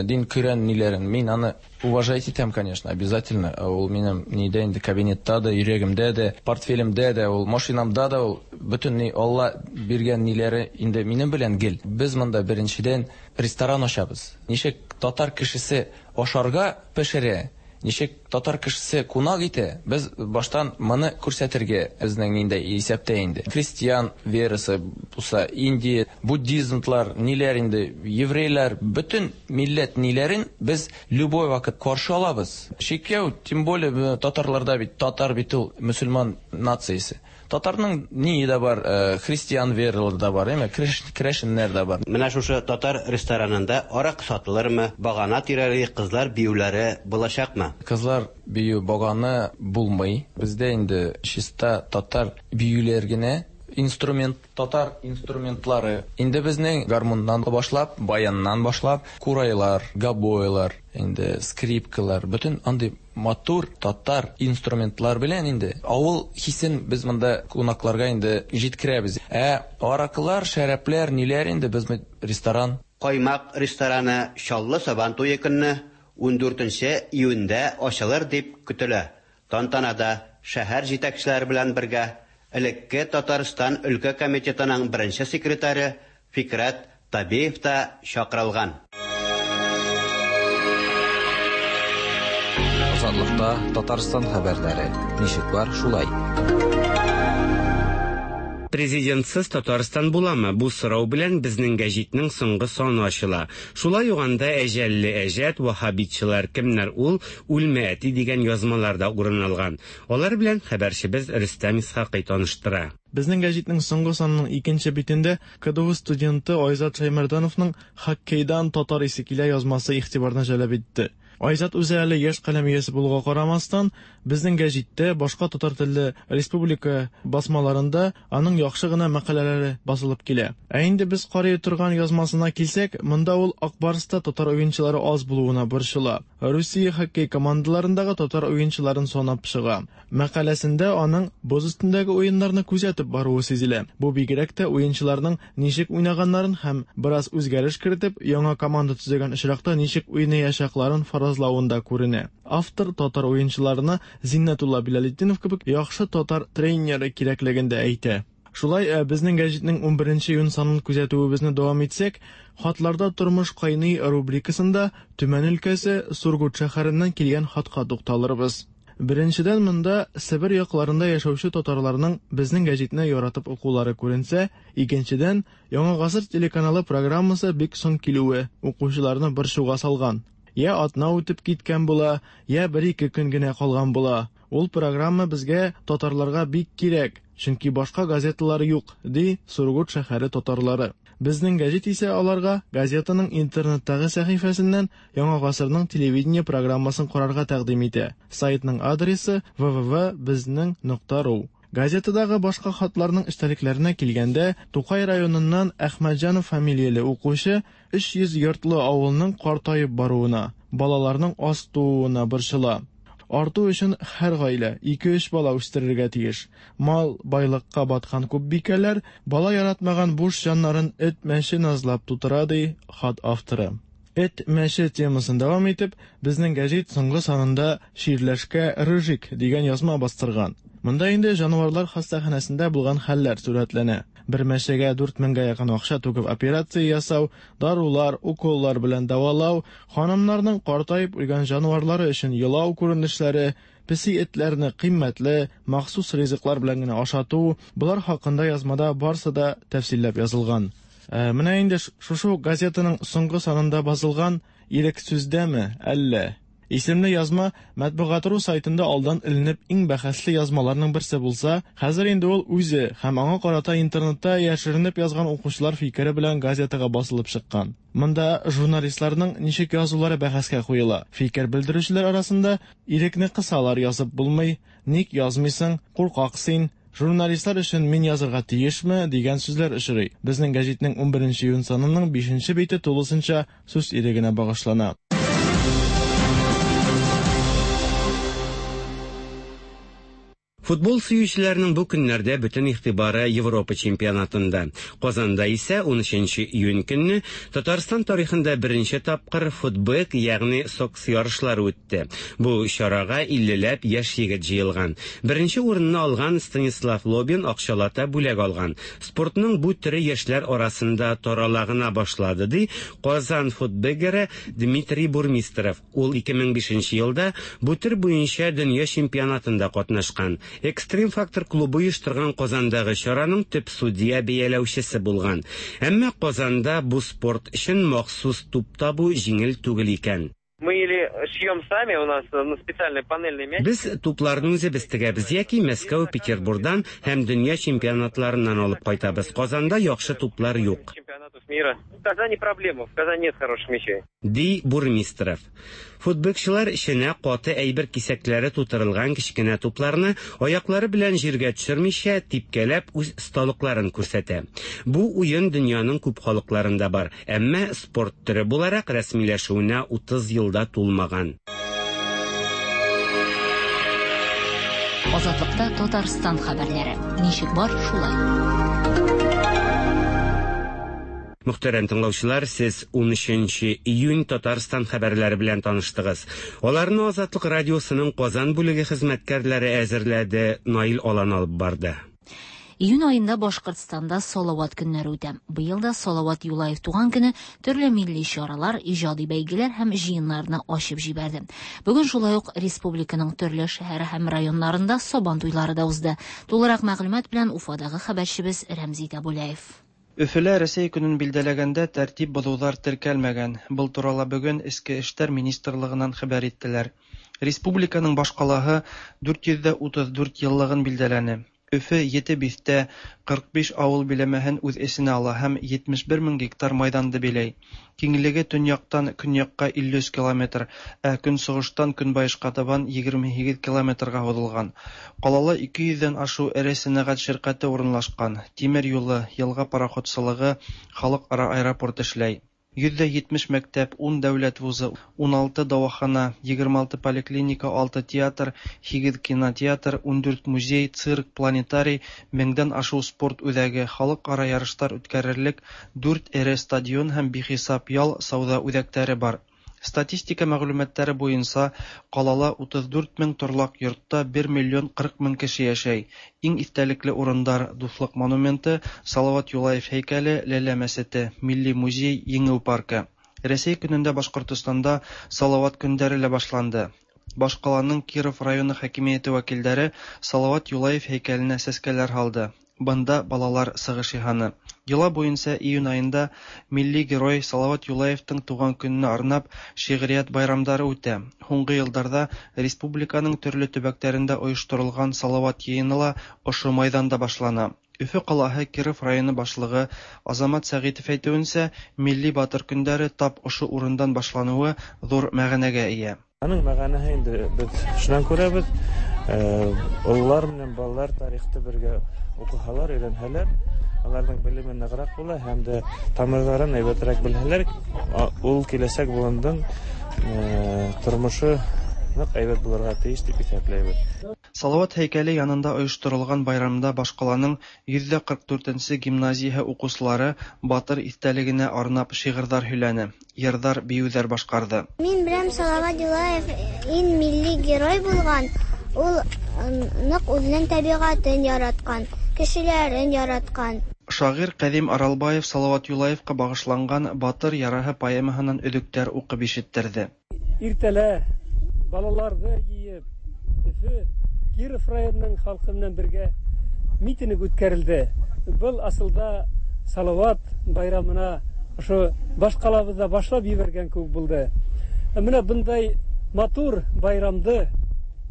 дин көрән ниләрен. Мин аны уважать итәм, конечно, обязательно. Ул минем нидә инде, кабинетта да, йөрәгемдә дә, портфелемдә дә, ул машинамда да, ул бөтен ни Алла биргән ниләре инде минем белән гел. Без монда беренчедән ресторан ачабыз. Ничек татар кешесе ашарга пешерә, ничек татар кешесе кунак итә, без баштан моны күрсәтергә безнең инде исәптә инде. Христиан верасы булса, Индия, буддизмлар, ниләр инде, еврейлар, бөтен милләт ниләрен без любой вакыт каршы алабыз. Чиркәү, тем более татарларда бит, татар бит ул мөселман нациясе. Татарның ние дә бар, христиан вералары да бар, әмма керәшеннәр дә бар. Менә шушы татар ресторанында арак сатылырмы, багана тирәли кызлар биюләре булачакмы? Кызлар бию баганы булмый. Бездә инде чиста татар биюләр генә, инструмент, татар инструментлары. Инде безнең гармуннан башлап, баяннан башлап, курайлар, гобойлар, инде скрипкалар, бөтен андый матур татар инструментлар белән инде авыл хисен без монда кунакларга инде җиткерәбез. Ә аракылар, шәрәпләр, ниләр инде без ресторан. Каймак рестораны Чаллы Сабан туе көнне ундүртенче июньдә ачылыр дип көтелә. Тантанада шәһәр җитәкчеләре белән бергә элекке Татарстан өлкә комитетының беренче секретаре Фикрәт Табиев та чакырылган. Азатлыкта Татарстан хәбәрләре. Ничек бар, шулай. Президентсыз Татарстан буламы? Бу сорау белән безнең гәҗитнең соңгы саны ачыла. Шулай ук анда әҗәлле әҗәт, ваһһабитчылар кемнәр ул, үлмә әти дигән язмалар да урын алган. Алар белән хәбәрчебез Рөстәм Исхакый таныштыра. Безнең гәҗитнең соңгы санының икенче битендә К Д У студенты Айзат Шаймардановның «Хоккейдан татар исе килә» язмасы игътибарны җәлеп итте. Айзат үзе әле яшь каләм иясе булуга карамастан, Безнең гәҗиттә, башка татар телле республика басмаларында аның яхшы гына мәкаләләре басылып килә. Ә инде без карый торган язмасына килсәк, монда ул Ак Барста татар уенчылары аз булуына борчыла. Русия хоккей командаларындагы татар уенчыларын санап чыга. Мәкаләсендә аның боз өстендәге уеннарны күзәтеп баруы сизелә. Бу бигрәк тә уенчыларның ничек уйнаганнарын һәм бераз үзгәреш кертеп, яңа команда төзегән очракта ничек уйнаячакларын фаразлавында күренә. Автор татар уенчыларына Зиннәтулла Билалетдинов кебек яхшы татар тренеры кирәклеген дә әйтә. Шулай, безнең гәҗитнең унберенче июнь санын күзәтүебезне дәвам итсәк, Хатларда тормыш кайный рубрикасында Төмән өлкәсе Сургут шәһәреннән килгән хатка тукталырбыз. Беренчедән, монда Себер якларында яшәүче татарларның безнең гәҗитне яратып укулары күренсә, икенчедән, Яңа гасыр телеканалы программасы бик соң килүе укучыларны борчуга салган. Я атна үтеп киткән була, я бер-ике көн генә калган була. Ул программа безгә, татарларга бик кирәк, чөнки башка газеталар юк, ди Сургут шәһәре татарлары. Безнең гәҗит исә аларга газетаның интернеттагы сәхифәсеннән Яңа гасырның телевидение программасын карарга тәкъдим итә. Сайтның адресы вэ вэ вэ безнең нокта ру. Газетадагы башка хатларның эчтәлекләренә килгәндә, Тукай районыннан Әхмәтҗанов фамилияле укучы өч йөз йортлы авылның картаеп баруына, балаларның аз тууына борчыла. Арту өчен һәр гаилә ике-өч бала үстерергә тиеш. Мал байлыкка баткан күп бикәләр бала яратмаган буш җаннарын эт мәче назлап тутыра, ди хат авторы. Эт мәче темасын дәвам итеп, безнең гәҗит соңгы санында Ширләшкә Рыжик дигән язма бастырган. Монда инде җанварлар хастаханәсендә булган хәлләр сурәтләнә. Бер мәчегә дүрт меңгә якын акча түгеп операция ясау, дарулар, уколлар белән дәвалау, ханымнарның картаеп үлгән җанварлары өчен елау күренешләре, песи этләрне кыйммәтле, махсус ризыклар белән генә ашату, болар хакында язмада барсы да тәфсилләп язылган. Ә, менә инде шушы газетаның соңгы санында басылган Ирек сүздәме, әллә? Исемле язма Матбугат.ру сайтында алдан эленеп иң бәхәсле язмаларның берсе булса, хәзер инде ул үзе һәм аңа карата интернетта яшеренеп язган укучылар фикере белән газетага басылып чыккан. Монда журналистларның ничек язулары бәхәскә куела. Фикер белдерүчеләр арасында ирекне кысалар язып булмый, ник язмыйсың, куркак син, журналистлар өчен мин язырга тиешме дигән сүзләр очрый. Безнең гәҗитнең унберенче июнь санының бишенче бите тулысынча сүз ирегенә багышлана. Футбол сөючеләрнең бу көннәрдә бөтен игътибары Европа чемпионатында. Казанда исә унөченче июнь көнне Татарстан тарихында беренче тапкыр футбек, ягъни сокс ярышлары үтте. Бу чарага иллеләп яшь егет җыелган. Беренче урынны алган Станислав Лобин акчалата бүләк алган. Спортның бу төре яшьләр арасында тарала гына башлады, ди Казан футбегеры Дмитрий Бурмистров. Ул ике мең бишенче елда бу төр буенча дөнья чемпионатында катнашкан. Экстрим Фактор клубы оештырган Казандагы чараның төп судья бәяләүчесе булган. Әмма Казанда бу спорт өчен махсус туп табу җиңел түгел икән. Мы или шьем сами, у нас на специальный панельный мяч. Без тупларны үзебез тегәбез яки Мәскәү, Петербургдан һәм дөнья чемпионатларыннан алып кайтабыз. Казанда яхшы туплар юк. Чемпионатов мира. В Казани проблема, в Казани нет хороших мячей. Ди Бурмистров. Футболчылар эченә каты әйбер кисәкләре тутырылган кечкенә тупларны аяклары белән җиргә төшермичә типкәләп үз осталыкларын күрсәтә. Бу уен дөньяның күп халыкларында бар, әмма спорт төре буларак рәсмиләшүенә утыз елда тулмаган. Азатлыкта Татарстан хәбәрләре. Ничек бар, шулай. Мөхтәрәм тыңлаучылар, сез унөченче июнь Татарстан хәбәрләре белән таныштыгыз. Аларны Азатлык радиосының Казан бүлеге хезмәткәрләре әзерләде, Наил Алан алып барды. Июнь айында Башкортстанда Салават көннәре үтә. Быел да Салават Юлаев туган көне төрле милли чаралар, иҗади бәйгеләр һәм җыеннарны ачып җибәрде. Бүген шулай ук республиканың төрле шәһәре һәм районнарында Сабан туйлары да узды. Тулырак мәгълүмат белән Уфадагы хәбәрчебез Рәмзи Табулаев. Өфөлә Рәсәй көнен билдәләгәндә тәртип бозулар теркәлмәгән. Был турала бүген Эчке эшләр министрлыгынан хәбәр иттеләр. Республиканың башкалаһы дүрт йөз дә утыз дүрт еллыгын билдәләне. Өфө ете биҫтә, ҡырҡ биш ауыл биләмәһен үҙ эсенә ала һәм етмеш бер мең гектар майҙанды биләй. Киңлеге төньяҡтан көньяҡҡа илле өс километр, ә көнсығыштан көнбайышҡа табан егерме һигеҙ километрға һуҙылған. Ҡалала ике йөҙҙән ашыу эре сәнәғәт ширҡәте урынлашҡан, тимер юлы, йылға пароходсылығы, халыҡ-ара аэропорт эшләй. Йөҙҙә етмеш мәктәп, ун дәүләт вузы, ун алты дауахана, егерме алты поликлиника, алты театр, һигеҙ кинотеатр, ун дүрт музей, цирк, планетарий, меңдән ашыу спорт үҙәге, халыҡ-ара ярыштар үткәрерлек дүрт эре стадион һәм бихисап ял, сауҙа үҙәктәре бар. Статистика мәғлүмәттәре буйынса ҡалала утыҙ дүрт мең торлаҡ йортта бер миллион ҡырҡ мең кеше йәшәй. Иң иҫтәлекле урындар Дуҫлыҡ монументы, Салават Юлаев һәйкәле, Ләлә мәсете, Милли музей, Еңеү паркы. Рәсәй көнөндә Башҡортостанда Салават көндәре лә башланды. Баш ҡаланың Киров районы хакимиәте вәкилдәре Салават Юлаев һәйкәленә сәскәләр һалды. Бында балалар сығыш яһаны. Йола буйынса июнь айында милли герой Салават Юлаевтың тыуған көнөнә арнап шиғриәт байрамдары үтә. Һуңғы йылдарҙа республиканың төрлө төбәктәрендә ойошторолған Салават йыйыны ла ошо майҙанда башлана. Өфө ҡалаһы Киров районы башлығы Азамат Сәғитов әйтеүенсә, милли батыр көндәре тап ошо урындан башланыуы ҙур мәғәнәгә эйә. Аның мәғәнәһе инде беҙ шунан күрәбеҙ, ололар менән балалар тарихты бергә уҡыһалар, өйрәнһәләр, аларҙың белеме нығыраҡ була һәм дә тамырҙарын һәйбәтерәк белһәләр, ул киләсәк быуындың тормошо ныҡ һәйбәт булырға тейеш тип иҫәпләйбеҙ. Салават һәйкәле янында ойошторолған байрамда баш ҡаланың йөҙҙә ҡырҡ дүртенсе гимназияһы уҡыусылары батыр иҫтәлегенә арнап шиғырҙар һөйләне, йырҙар, бейеүҙәр башҡарҙы. Мин беләм, Салават Юлаев иң милли герой булған. Ул ныҡ үҙенең тәбиғәтен яратҡан, кешеләрен яратҡан. Шағир Ҡәҙим Аралбаев Салават Юлаевҡа бағышланған Батыр яраһы поэмаһынан өҙөктәр уҡып ишеттерҙе. Иртәлә балаларҙы йыйып, Өфө Киров районының халҡы менән бергә митинг үткәрелде. Был асылда Салават байрамына ошо баш ҡалабыҙҙа башлап ебәргән кеүек булды. Ә менә бындай матур байрамды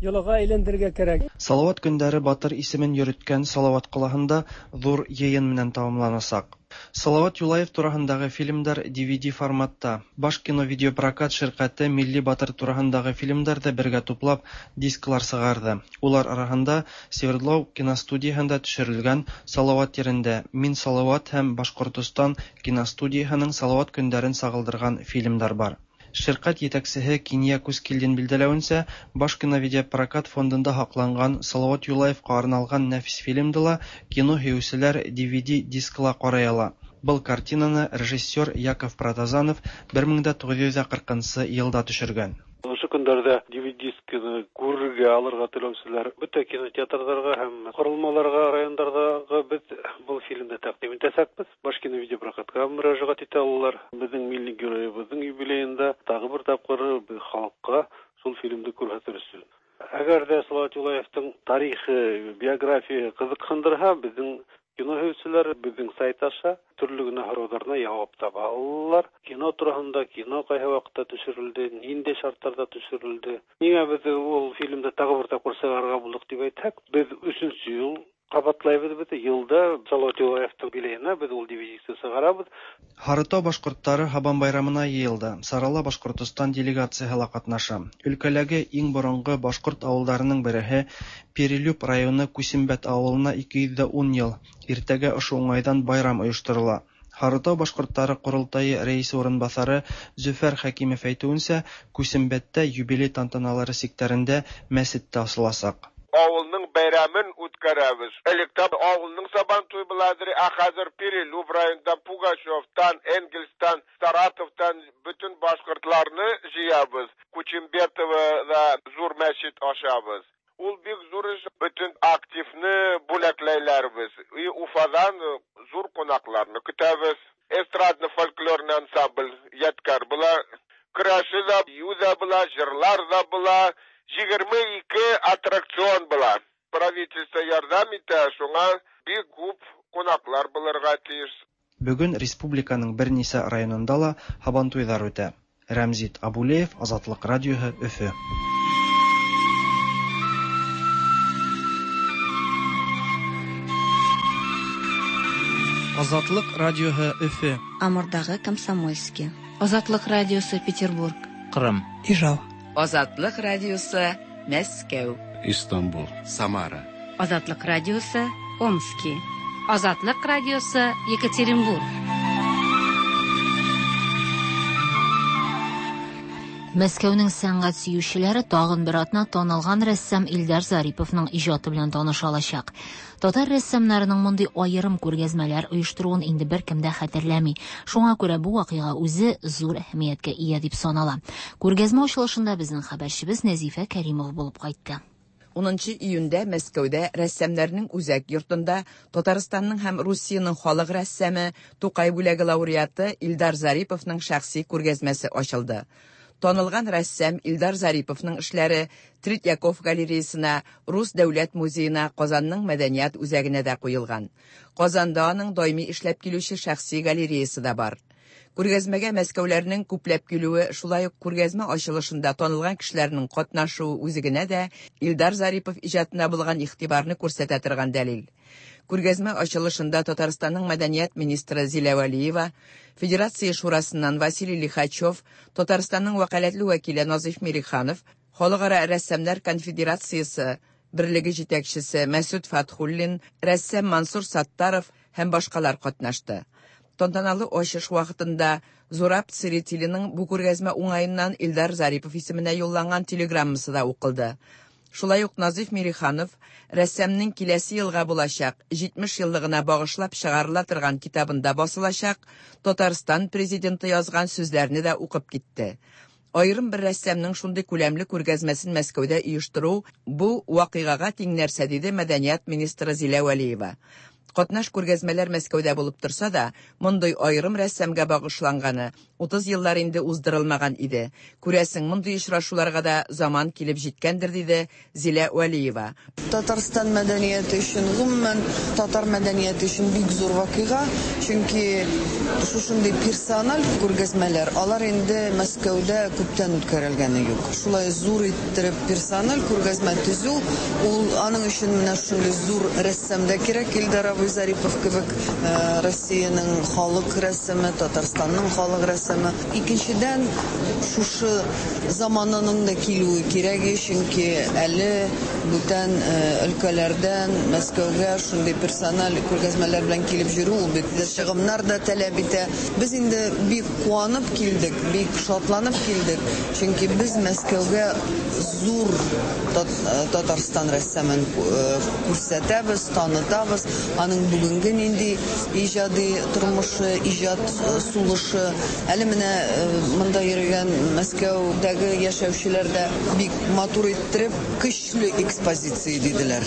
йолаға әйләндерергә кәрәк. Салават көндәре батыр исемен йөрөткән Салават ҡалаһында ҙур йыйын менән тамамланасаҡ. Салават Юлаев тураһындағы фильмдар D V D форматта. Башкино видеопрокат ширҡәте милли батыр тураһындағы фильмдарҙы бергә туплап дисклар сығарҙы. Улар араһында Свердлов киностудияһында төшөрөлгән Салават ерендә, Мин Салават һәм Башҡортостан киностудияһының Салават көндәрен сағылдырған фильмдар бар. Ширҡәт етәксеһе Кинйә Күскилдин билдәләүенсә, Башкино видеопрокат фондында һаҡланған Салават Юлаевҡа арналған нәфис фильмды ла кино һөйөүселәр D V D дискыла ҡарай ала. Был картинаны режиссер Яков Протазанов бер мең дә туғыҙ йөҙ ҡырҡынсы йылда төшөргән. Ошо көндәрҙә D V дискыны күрергә, алырға теләүселәр бөтә кинотеатрҙарға һәм ҡоролмаларға, райондарҙағы беҙ был фильмды тәҡдим итәсәкбеҙ. Башкино видеопрокатҡа мөрәжәғәт итә алалар. Беҙҙең милли геройыбыҙҙың юбилейында тағы бер тапҡыр беҙ халыҡҡа шул фильмды күрһәтер өсөн. Әгәр ҙә Салават Юлаевтың тарихы, биографияһы ҡыҙыҡһындырһа, беҙҙең кино һөйөүселәр беҙҙең сайт аша төрлө генә һорауҙарына яуап таба алалар. Кино тураһында, кино ҡайһы ваҡытта төшөрөлдө, ниндәй шарттарҙа төшөрөлдө. Ниңә беҙ ул фильмды тағы бер тапҡыр сығарырға булдыҡ тип әйтһәк, беҙ өсөнсө йыл ҡабатлайбыҙ бит. Йылда Салават Юлаевтың юбилейына беҙ ул D V D-ны сығарабыҙ. Һарытау башҡорттары Һабан байрамына йыйылды. Сарала Башҡортостан делегацияһы ла ҡатнаша. Өлкәләге иң боронғо башҡорт ауылдарының береһе Перелюб районы Күсембәт ауылына ике йөҙ ҙә ун йыл. Иртәгә ошо уңайҙан байрам ойошторола. Һарытау башҡорттары ҡоролтайы рәйесе урынбаҫары Зөфәр Хәкимов әйтеүенсә, Күсембәттә юбилей тантаналары сиктәрендә мәсет тә асыласаҡ. Ауылның бәйрәмен үткәрәбеҙ. Электә ауылның Сабантуй буладыр, ә хәҙер Перелюб районынан, Пугачевтан, Энгельстан, Саратовтан бөтөн башҡортларны йыябыҙ. Кучембетовоҙа ҙур мәсет асабыҙ. Ул бик ҙур эш, бөтөн активны бүләкләйләрбеҙ. И Уфаҙан ҙур ҡунаҡларны көтәбеҙ. Эстрадно-фольклорный ансамбль Ядкәр була, көрәше ҙә, бейеү ҙә була, йырлар ҙа була. Егерме ике аттракцион була. Правительство ярҙам итә, шуңа бик күп ҡунаҡлар булырға тейеш. Бөгөн республиканың бер нисә районында ла һабантуйҙар үтә. Рәмзит Абулеев, Азатлыҡ радиоһы, Өфө. Азатлык радиоһы Өфе. Амурдагы Комсомольский. Азатлык радиосы Петербург. Кырым. Ижау. Азатлык радиосы Мәскәү. Истанбул. Самара. Азатлык радиосы Омски. Азатлык радиосы Екатеринбург. Мәскәүнең сәнгать сөючеләре тагын бер атна танылган рәссам Илдар Зариповның иҗаты белән таныша алачак. Татар рәссамнарының мондый аерым күргәзмәләр оештыруын инде беркем дә хәтерләми. Шуңа күрә бу вакыйга үзе зур әһәмияткә ия дип санала. Күргәзмә ачылышында безнең хәбәрчебез Нәзифә Кәримова булып кайтты. Унынчы июньдә Мәскәүдә рәссамнарның үзәк йортында Татарстанның һәм Русиянең халык рәссамы Тукай бүләге лауреаты Илдар Зариповның шәхси күргәзмәсе ачылды. Танылган рәссам Илдар Зариповның эшләре Третьяков галереясына, Рус дәүләт музеена, Казанның мәдәният үзәгенә дә куелган. Казанда аның даими эшләп килүче шәхси галереясы да бар. Күргәзмәгә мәскәүләрнең күпләп килүе, шулай ук күргәзмә ачылышында танылган кешеләрнең катнашуы үзе генә дә Илдар Зарипов иҗатына булган игътибарны күрсәтә торган дәлил. Күргәзмә ачылышында Татарстанның мәдәният министры Зилә Вәлиева, Федерация шурасыннан Василий Лихачев, Татарстанның вәкаләтле вәкиле Назиф Мириханов, Халыкара рәссамнар конфедерациясе берлеге җитәкчесе Мәсүд Фатхуллин, рәссам Мансур Саттаров һәм башкалар катнашты. Тантаналы ачыш вакытында Зураб Церетелиның бу күргәзмә уңаеннан Илдар Зарипов исеменә юлланган телеграммасы да укылды. Шулай ук Назиф Мириханов рәссамның киләсе елга булачак җитмеш еллыгына багышлап чыгарыла торган китабында басылачак Татарстан президенты язган сүзләрне дә укып китте. Аерым бер рәссамның шундый күләмле күргәзмәсен Мәскәүдә оештыру бу вакыйгага тиң нәрсә, диде мәдәният министры Зилә Вәлиева. Катнаш күргәзмәләр Мәскәүдә булып торса да, мондый аерым рәссамга багышланганы утыз еллар инде уздырылмаган иде. Күрәсең, мондый очрашуларга да заман килеп җиткәндер, диде Зилә Вәлиева. Татарстан мәдәнияте өчен, гомумән татар мәдәнияте өчен бик зур вакыйга, чөнки шушындый персональ күргәзмәләр алар инде Мәскәүдә күптән үткәрелгәне юк. Шулай зур иттереп персональ күргәзмә төзү, ул аның өчен менә шундый зур рәссам да кирәк. Илдар абый Зарипов кебек Россиянең халык рәссамы, Татарстанның халык рәссамы. Икенчедән, шушы замананың да килүе кирәк, чөнки әле бүтән өлкәләрдән Мәскәүгә шундый персональ күргәзмәләр белән килеп йөрү ул бит чыгымнар да таләп итә. Без инде бик куанып килдек, бик шатланып килдек, чөнки без Мәскәүгә зур Татарстан рәссамын күрсәтәбез, танытабыз. Аның бүгенге нинди иҗади тормышы, иҗат сулышы. Әле менә монда йөргән Мәскәүдәге яшәүчеләр дә бик матур иттереп көчле экспозиция диделәр.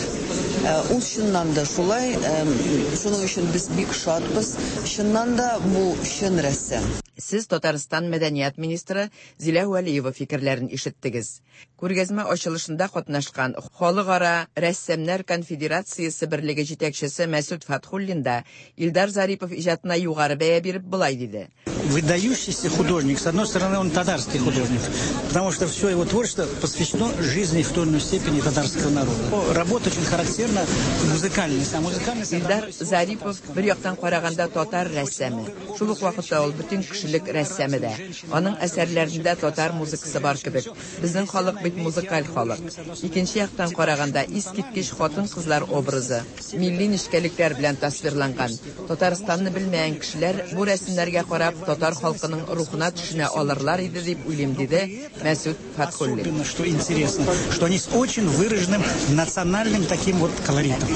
Ул чыннан да шулай, шуның өчен без бик шатбыз. Чыннан да бу чын рәссам. Сез Татарстан мәдәният министры Зилә Вәлиева фикерләрен ишеттегез. Күргәзмә ачылышында катнашкан Халыкара рәссамнар конфедерациясе берлеге җитәкчесе Мәсүд Фатхуллин да Илдар Зарипов иҗатына югары бәя биреп былай диде. Выдающийся художник, с одной стороны, он татарский художник, потому что все его творчество посвящено жизни в той или иной степени татарского народа. Работа очень характерна музыкальность, а музыкальность... Илдар Зарипов бер яктан караганда татар рәссамы. Шул ук вакытта ул бөтен кешелек рәссамы да. Аның әсәрләрендә татар музыкасы бар кебек. Безнең халык бит музыкаль халык. Икенче яктан караганда искиткеч хатын-кызлар образы милли нечкәлекләр белән тасвирланган. Татарстанны белмәгән кешеләр бу рәсемнәргә карап татар халкының рухына төшенә алырлар иде дип уйлыйм, диде Мәсүд Фатхуллин. Особенно, что интересно, что они с очень выраженным национальным таким вот колоритом.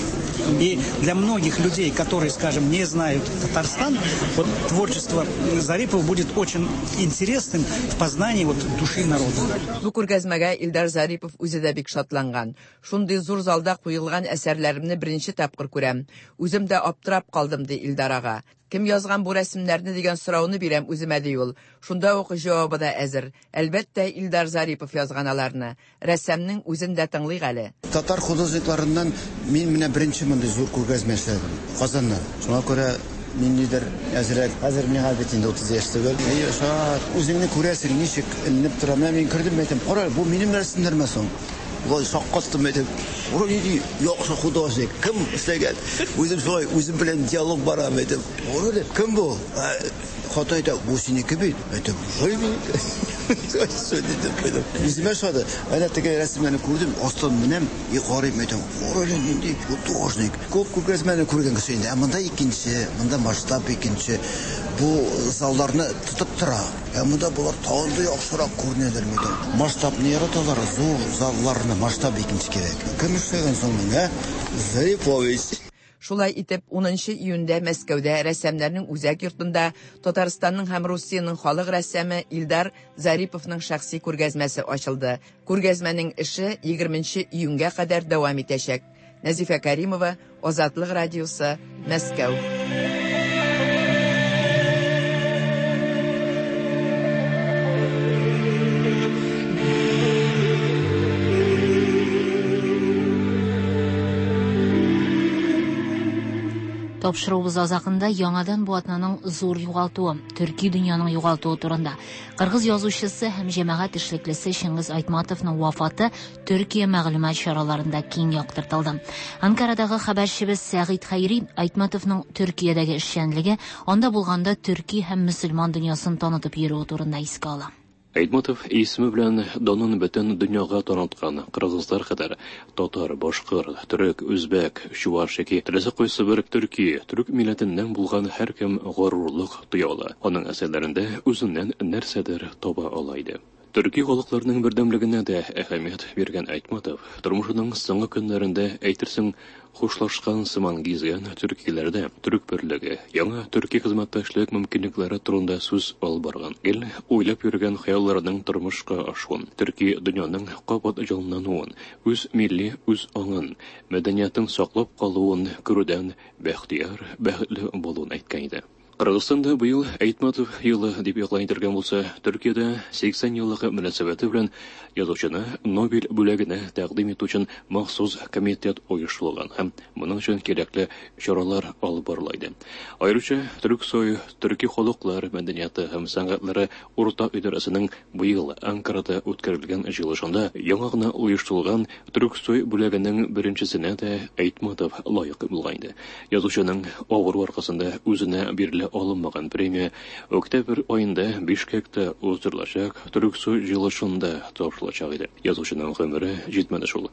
И для многих людей, которые, скажем, не знают Татарстан, вот творчество Зарипова будет очень интересным в познании вот души народа. Бу күргәзмәгә Илдар Зарипов үзе дә бик шатланган. Шундый зур залда куелган әсәрләремне беренче тапкыр күрәм. Үзем дә аптырап калдым, ди Илдар ага. Кем язган бу рәсемнәрне дигән сорауны бирәм үземә, ди ул. Шунда ук җавабы да әзер. Әлбәттә, Илдар Зарипов язган аларны. Рәссамның үзен дә тыңлыйк әле. Татар художникларыннан мин менә беренче мондый зур күргәзмә эшләдем Казанда. Шуңа күрә ниндидер әзрәк. Хәзер миңа бит инде утыз яшь түгел. Әйе, шат. Үзеңне күрәсең, ничек эленеп тора. Менә мин кердем, әйтәм, кара, бу минем рәсемнәрме соң? Болай шаккаттым әйтәм. Кара нинди яхшы художник. Кем эшләгән? Үзем шулай үзем белән диалог барам әйтәм. Кара кем бу? Хатын әйтә, бу синеке бит. Әйтәм, шулай минеке. Үземә ошады. Әнә теге рәсемнәрне күрдем, астан менәм, и карыйм әйтәм, кара нинди художник. Күп күп рәсемнәрне күргән кеше инде. Ә монда икенче, монда масштаб икенче. Бу залларны тотып тора. Ә монда болар тагын да яхшырак күренәләр мәйтәм. Масштабны яраталар, зур залларны, масштаб икенче кирәк. Кем эшләгән соң моны, ә? Зарипович. Шулай итеп, унынчы июньдә Мәскәүдә рәссамнарның үзәк йортында Татарстанның һәм Русиянең халык рәссамы Илдар Зариповның шәхси күргәзмәсе ачылды. Күргәзмәнең эше егерменче июньгә кадәр дәвам итәчәк. Нәзифә Каримова, Азатлык радиосы, Мәскәү. Тапшыруыбыз азагында яңадан бу атнаның зур югалтуы, төрки дөньяның югалтуы турында. Кыргыз язучысы һәм җәмәгать эшлеклесе Чыңгыз Айтматовның вафаты Төркия мәгълүмат чараларында киң яктыртылды. Анкарадагы хәбәрчебез Сәгыйть Хәйри Айтматовның Төркиядәге эшчәнлеге, анда булганда төрки һәм мөселман дөньясын танытып йөрүе турында искә ала. Айтматов исеме белән данын бөтен дөньяга таныткан кыргызлар кадәр татар, башкыр, төрек, үзбәк, чуваш яки теләсә кайсы бер төрки, төрек милләтеннән булган һәркем горурлык тоя ала. Аның әсәрләрендә үзеннән нәрсәдер таба ала иде. Төрки халыкларының бердәмлегенә дә әһәмият биргән Айтматов тормышының соңгы көннәрендә әйтерсең хушлашкан сыман гизгән төркиләрдә төрек берлеге, яңа төрки хезмәттәшлек мөмкинлекләре турында сүз алып барган. Гел уйлап йөргән хыялларының тормышка ашуын, төрки дөньяның кабат җанлануын, үз милли үз аңын, мәдәниятын саклап калуын күрүдән бәхтияр, бәхетле булуын әйткән иде. Кыргызстанда быел Айтматов елы дип игълан ителгән булса, Төркиядә сиксән еллыгы мөнәсәбәте белән язучыны Нобель бүләгенә тәкъдим итү өчен махсус комитет оештырылган һәм моның өчен кирәкле чаралар алып барыла иде. Аеруча Төрксой, төрки халыклар мәдәнияте һәм сәнгатьләре уртак идарәсенең быел Анкарада үткәрелгән җыелышында яңа гына оештырылган Төрксой бүләгенең беренчесенә дә Айтматов лаек булган иде. Язучының авыру аркасында үзенә бирелә алынмаган премия октябрь аенда Бишкекта уздырылачак Төрксой җыелышында тапшырылачак иде. Язучының гомере җитмәде шул.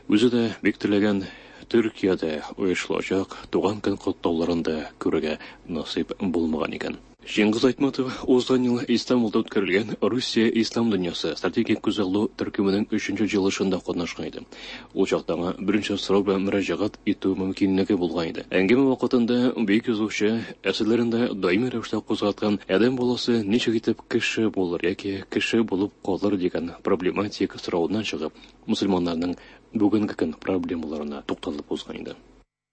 Үзе дә бик теләгән Төркиядә оештырылачак туган көн котлауларын да күрергә насыйп булмаган икән. Чыңгыз Айтматов узган ел Истанбулда үткәрелгән Русия Ислам дөньясы стратегик күзаллау төркеменең өченче җыелышында катнашкан иде. Ул чакта аңа беренче сорау белән мөрәҗәгать итү мөмкинлеге булган иде. Әңгәмә вакытында бөек язучы әсәрләрендә даими рәвештә кузгаткан адәм баласы ничек итеп кеше булыр яки кеше булып калыр дигән проблематик соравыннан чыгып, мөселманнарның бүгенге көн проблемаларына тукталып узган иде.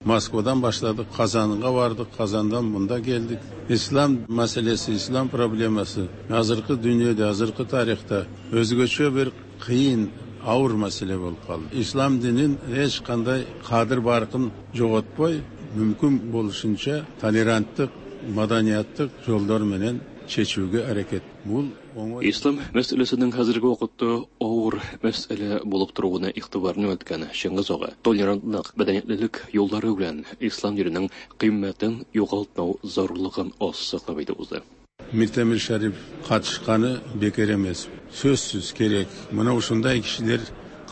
Moskvadan başladık, Kazan'a vardık, Kazan'dan bunda geldik. İslam meselesi, İslam probleması hazırki dünyada, hazırki tarixdə özgöçə bir qıyın, ağır mesele bolup kaldı. İslam dinin heç qanday qadir barkın joğotboy, mümkün boluşunca tolerantlıq, madaniyatlık yollar menen çeçüge hareket. Bul Ислам мәсьәләсенең хәзерге вакытта авыр мәсьәлә булып торуына игътибарны үткән Чыңгыз ага толерантлык, мәдәниятлелек юллары белән ислам диненең кыйммәтен югалтмау зарурлыгын ассызыклап әйтеп узды. Миртемир Шарип катышканы бекер эмес. Сөзсүз керек. Мына ушундай кишилер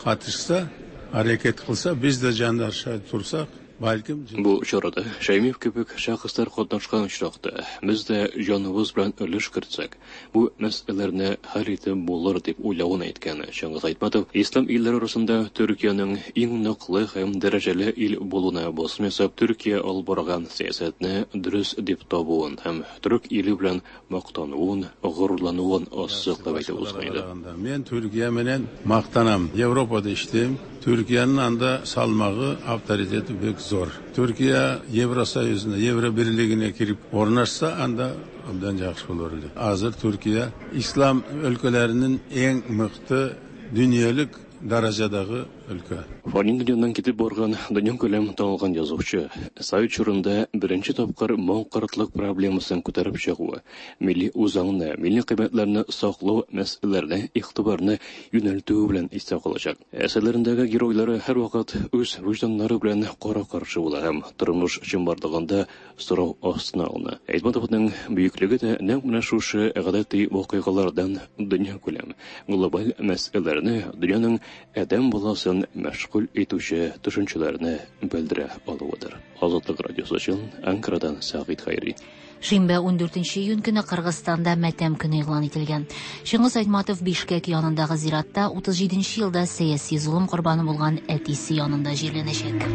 катышса, аракет кылса, биз да жандаша турсак, балким Бу чарада Шәймиев кебек шәхесләр катнашкан очракта без дә җаныбыз белән өлеш кертсәк, бу мәсьәләләрне хәл итеп булыр дип уйлавын әйткән Чыңгыз Айтматов ислам илләре арасында Төркиянең иң ныклы һәм дәрәҗәле ил булуына басым ясап, Төркия алып барган сәясәтне дөрес дип табуын һәм төрек иле белән мактануын, горурлануын ассызыклап әйтеп узган иде. Мен Төркия менен мактанам. Европада иштейм. Türkiye'nin anda salmağı, avtoriteti büyük zor. Türkiye Евросоюзuna, Евро Birliği'ne girip ornaşsa anda ondan yaxşı olur. Hazır Türkiye İslam ülkelerinin en mıhtı dünyalık derecedeki өлкә. Фани дөньядан китеп барган дөньякүләм танылган язучы, Совет чорында беренче тапкыр маңкортлык проблемасын күтәреп чыгуы, милли үзаңны, милли кыйммәтләрне саклау мәсьәләләренә игътибарны юнәлтүе белән истә калачак. Әсәрләрендәге геройлары һәрвакыт үз вөҗданнары белән кара-каршы була һәм тормыш чынбарлыгында сорау астына алына. Айтматовның бөеклеге дә нәкъ менә шушы гадәти вакыйгалардан дөньякүләм глобаль мәсьәләләрне, дөньяның адәм баласын мәшгуль итүче төшенчәләрне белдерә алуыдыр. Азатлык радиосы өчен Анкарадан Сәгыйть Хәйри. Шимбә ундүртенче июнь көне Кыргызстанда мәтәм көне игълан ителгән. Чыңгыз Айтматов Бишкек янындагы зиратта утыз җиденче елда сәяси золым корбаны булган әтисе янында җирләнәчәк.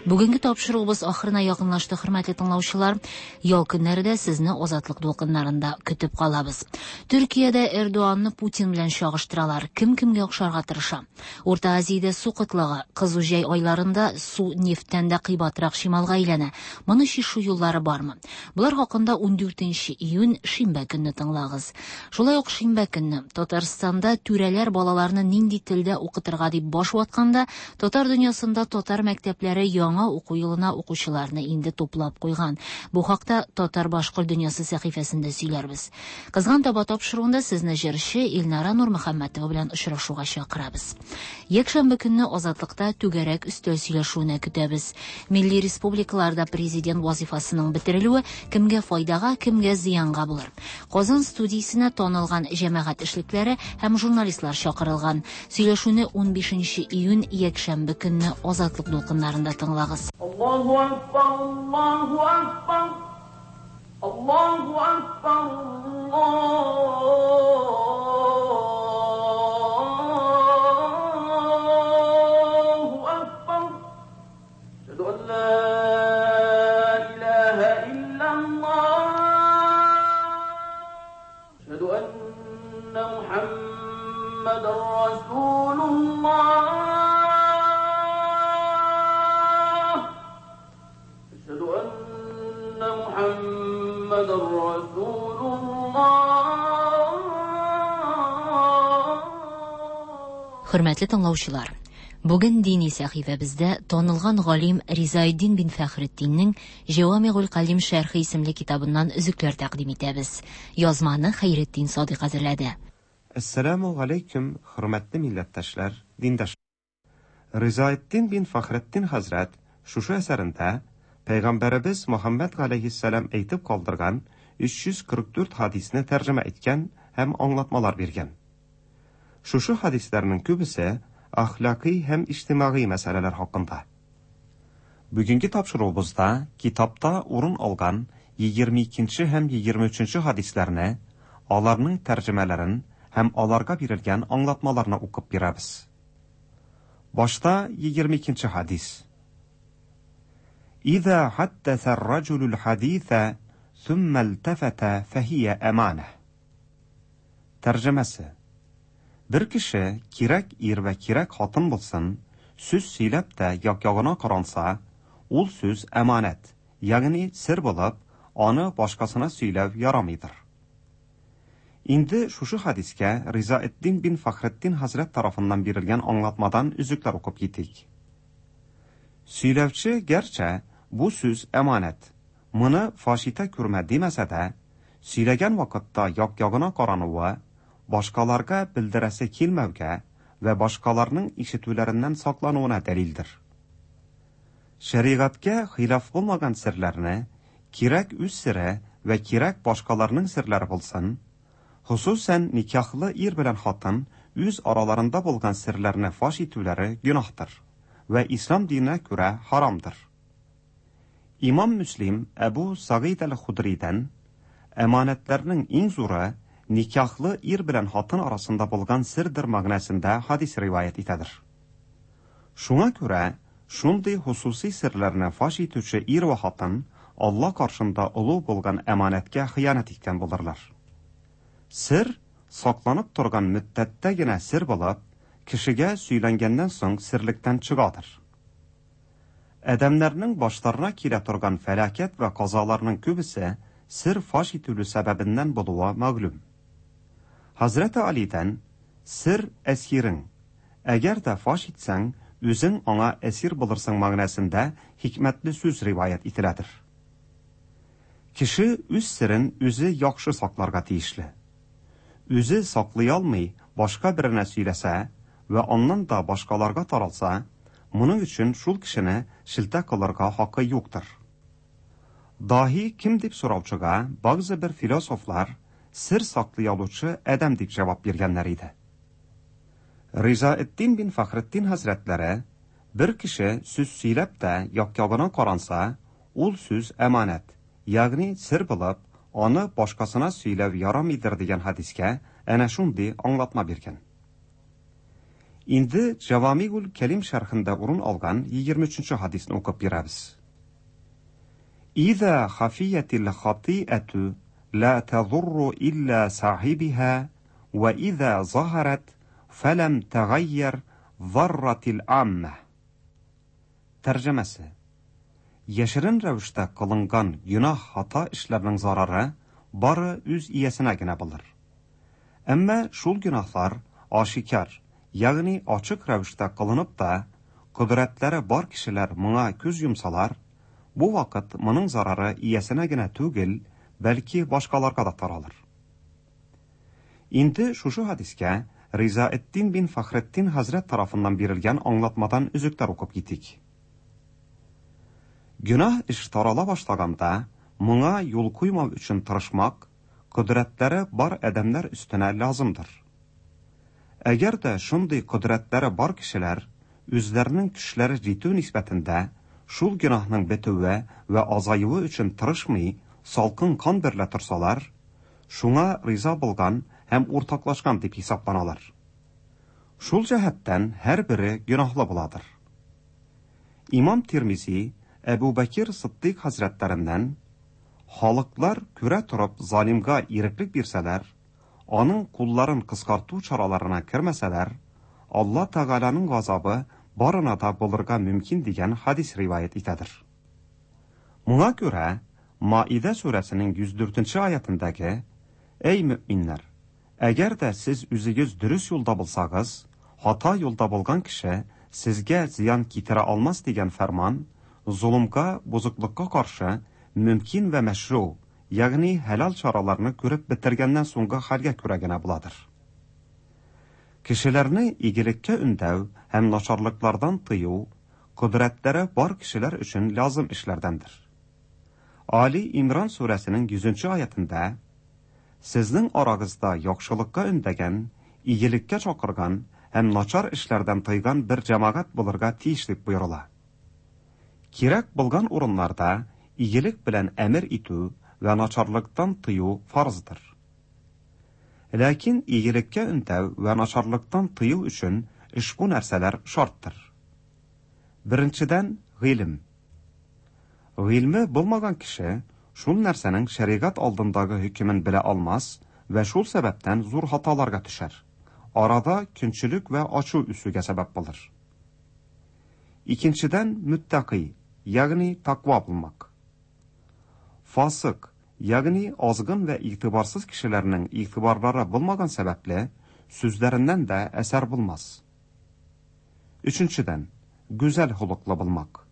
Бүгенге тапшыруыбыз ахырына якынлашты, хөрмәтле тыңлаучылар. Ял көннәре дә сезне Азатлык дулкыннарында көтеп калабыз. Төркиядә Эрдоганны Путин белән чагыштыралар. Кем кемгә охшарга тырыша? Урта Азиядә су кытлыгы, кызу җәй айларында су нефтьтән дә кыйбатрак чималга әйләнә. Моны чишү юллары бармы? Болар хакында ундүртенче июнь шимбә көнне тыңлагыз. Шулай ук шимбә көнне Татарстанда түрәләр балаларны нинди телдә укытырга дип баш ватканда, татар дөньясында татар мәктәпләре яңа уку елына укучыларны инде туплап куйган. Бу хакта Татар башкорт дөньясы сәхифәсендә сөйләрбез. Кызган таба тапшыруында сезне җырчы Илнара Нурмөхәммәтова белән очрашуга чакырабыз. Якшәмбе көнне Азатлыкта түгәрәк өстәл сөйләшүенә көтәбез. Милли республикаларда президент вазифасының бетерелүе кемгә файдага, кемгә зыянга булыр. Казан студиясенә танылган җәмәгать эшлекләре һәм журналистлар чакырылган. Сөйләшүне унбишенче июнь якшәмбе көнне Азатлык дулкыннарында тыңлагыз. Аллаһу акбар, Аллаһу акбар, Аллаһу акбар, Аллаһу акбар. Әшһәду ан ла илаһа иллаллаһ. Әшһәду анна Мухаммадан расулуллаһ. Хөрмәтле тыңлаучылар, бүген дини сәхифәбездә танылган галим Ризаэддин бин Фәхретдиннең Җавамигул Калим шәрхе исемле китабыннан өзекләр тәкъдим итәбез. Язманы Хәйретдин Садыйк әзерләде. Әссәламу алейкум, хөрмәтле милләттәшләр, диндашлар. Ризаэддин бин Фәхретдин хәзрәт шушы әсәрендә Пәйгамбәребез Мөхәммәд галәйһиссәлам әйтеп калдырган өч йөз кырык дүрт хадисне тәрҗемә иткән һәм аңлатмалар биргән. Шушы хадисләрнең күбесе әхлакый һәм иҗтимагый мәсьәләләр хакында. Бүгенге тапшыруыбызда китапта урын алган егерме икенче һәм егерме өченче хадисләрне, аларның тәрҗемәләрен һәм аларга бирелгән аңлатмаларны укып бирәбез. Башта егерме икенче хадис. إذا حدث الرجل الحديث ثم التفت فهي أمانة. Тәрҗемәсе: Бер кеше кирәк ир вә кирәк хатын булсын, сүз сөйләп тә як-ягына каранса, ул сүз әманәт, ягъни сер булып, аны башкасына сөйләү ярамыйдыр. Инде шушы хадискә Ризаэддин бин Фәхретдин хәзрәт тарафыннан бирелгән аңлатмадан өзекләр укып китик. Сөйләүче гәрчә бу сүз әманәт, моны фаш итә күрмә димәсә дә, сөйләгән вакытта як-ягына карануы, башкаларга белдерәсе килмәүгә вә башкаларның ишетүләреннән саклануына дәлилдер. Шәригатькә хилаф булмаган серләрне, кирәк үз сере вә кирәк башкаларның серләре булсын, хосусән никахлы ир белән хатын үз араларында булган серләрне фаш итүләре гөнаһтыр вә ислам диненә күрә харамдыр. Имам Мөслим Әбу Сагид әл-Худридән әманәтләрнең иң зуры никахлы ир белән хатын арасында булган сердер мәгънәсендә хадис риваять итәдер. Шуңа күрә шундый хосуси серләрне фаш итүче ир вә хатын Алла каршында олы булган әманәткә хыянәт иткән булырлар. Сер сакланып торган мөддәттә генә сер булып, кешегә сөйләнгәннән соң серлектән чыгадыр. Адәмнәрнең башларына килә торган фәлакәт вә казаларның күбесе сер фаш ителү сәбәбеннән булуы мәгълүм. Хәзрәте Алидән сер әсирең, әгәр дә фаш итсәң, үзең аңа әсир булырсың мәгънәсендә хикмәтле сүз риваять ителәдер. Кеше үз серен үзе яхшы сакларга тиешле. Үзе саклый алмый, башка беренә сөйләсә вә аннан да башкаларга таралса, моның өчен шул кешене шелтә кылырга хакы юктыр. Даһи кем дип сораучыга бәгъзе бер философлар сер саклый алучы адәм дип җавап биргәннәр иде. Ризаэддин бин Фәхретдин хәзрәтләре бер кеше сүз сөйләп тә як-ягына каранса, ул сүз әманәт, ягъни сер булып, аны башкасына сөйләү ярамыйдыр дигән хәдискә әнә шундый аңлатма биргән. Инде Җавамигул Кәлим шәрхендә урын алган егерме өченче хәдисне укып бирәбез. Иза хафиятил хатиату ла тадурру илла сахибиха ва иза заһарат фалам тагайяр зарратил амма. Тәрҗемәсе: Яшерен рәвештә кылынган гөнаһ хата эшләрнең зарары бары үз иясенә генә булыр. Әмма шул гөнаһлар ашикар, ягъни ачык рәвештә кылынып та, кодрәтләре бар кешеләр моңа күз йомсалар, бу вакыт моның зарары иясенә генә түгел, бәлки башкаларга да таралыр. Инде шушы хәдискә Ризаэддин бин Фәхретдин хәзрәт тарафыннан бирелгән аңлатмадан өзекләр укып китик. Гөнаһ эш тарала башлаганда, моңа юл куймау өчен тырышмак, кодрәтләре бар адәмнәр өстенә лазымдыр. Әгәр дә шундый кодрәтләре бар кешеләр үзләренең көчләре җитү нисбәтендә шул гөнаһның бетүе вә азаюы өчен тырышмый, салкын кан берлә торсалар, шуңа риза булган һәм уртаклашкан дип хисапланалар. Шул җәһәттән һәрбере гөнаһлы буладыр. Имам Тирмизи Әбу Бәкир Сыддыйк хәзрәтләреннән халыклар күрә торып залимга иреклек бирсәләр, аның кулларын кыскарту чараларына кермәсәләр, Алла Тәгаләнең газабы барына да булырга мөмкин дигән хадис риваять итәдер. Моңа күрә Маида сүрәсенең йөз дүртенче аятындагы Эй мөминнәр, әгәр дә сез үзегез дөрес юлда булсагыз, хата юлда булган кеше сезгә зыян китерә алмас дигән фәрман золымга, бозыклыкка каршы мөмкин вә мәшру, ягъни хәләл чараларны күреп бетергәннән соңгы хәлгә күрә генә буладыр. Кешеләрне игелеккә өндәү һәм начарлыклардан тыю кодрәтләре бар кешеләр өчен лазым эшләрдәндер. Али Имран сүрәсенең йөзенче аятында Сезнең арагызда яхшылыкка өндәгән, игелеккә чакырган һәм начар эшләрдән тыйган бер җәмәгать булырга тиеш дип боерыла. Кирәк булган урыннарда игелек белән әмер итү вә начарлыктан тыю фарыздыр. Ләкин игелеккә өндәү вә начарлыктан тыю өчен ошбу нәрсәләр шарттыр. Беренчедән, гыйлем. Гыйльме булмаган кеше шул нәрсәнең шәригать алдындагы хөкемен белә алмас вә шул сәбәптән зур хаталарга төшәр. Арада көнчелек вә ачу үсүгә сәбәп булыр. Икенчедән, мөттәкый, ягъни таква булмак. Фасык, ягъни азгын вә игътибарсыз кешеләрнең игътибарлары булмаган сәбәпле, сүзләреннән дә әсәр булмас. Өченчедән, гүзәл холыклы булмак.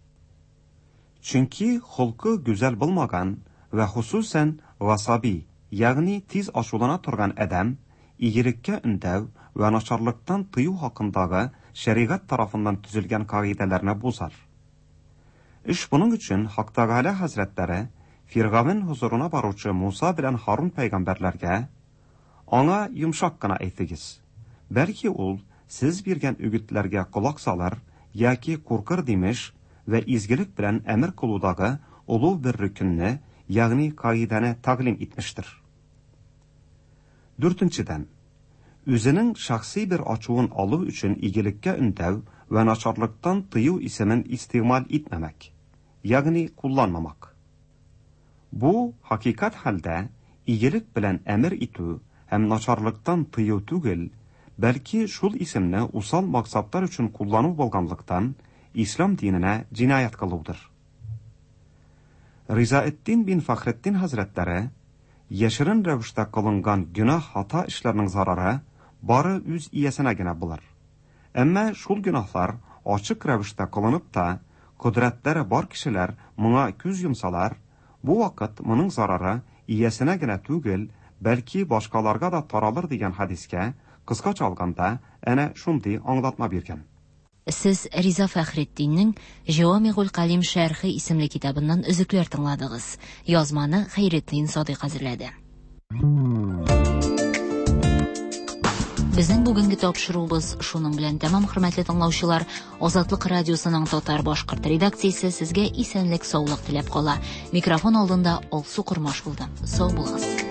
Чөнки холкы гүзәл булмаган вә хусусән гасаби, ягъни тиз ачулана торган адәм, игелеккә өндәү вә начарлыктан тыю хакындагы шәригать тарафыннан төзелгән кагыйдәләрне бозар. Эш буның өчен Хак Тәгалә хәзрәтләре Фиргавен хузурына баручы Муса белән Харун пәйгамбәрләргә аңа йомшак кына әйтегез. Бәлки ул сез биргән үгетләргә колак салыр яки куркыр димеш вә изгелек белән әмер кылудагы олуг бер рөкенне, ягъни кагыйдәне тәгълим итмештер. Дүртенчедән, үзенең шәхси бер ачуын алу өчен игелеккә өндәү вә начарлыктан тыю исемен истигъмал итмәмәк, ягъни кулланмамак. Бу хакыйкать хәлдә игелек белән әмер итү һәм начарлыктан тыю түгел, бәлки шул исемне усал максатлар өчен куллану булганлыктан ислам диненә җинаять кылудыр. Ризаэддин бин Фәхретдин хәзрәтләре Яшерен рәвештә кылынган гөнаһ хата эшләрнең зарары бары үз иясенә генә булыр. Әмма шул гөнаһлар ачык рәвештә кылынып та, кодрәтләре бар кешеләр моңа күз йомсалар, бу вакыт моның зарары иясенә генә түгел, бәлки башкаларга да таралыр дигән хәдискә, кыскача алганда, әнә шундый аңлатма биргән. Сез Риза Фәхретдиннең Җавамигуль Калим шәрхе исемле китабыннан өзекләр тыңладыгыз. Язманы Хәйретдин Садыйк әзерләде. Безнең бүгенге тапшыруыбыз шуның белән тәмам, хөрмәтле тыңлаучылар. Азатлык радиосының татар башкорт редакциясе сезгә исәнлек, саулык теләп кала. Микрофон алдында Алсу Кормаш булды. Сау булыгыз.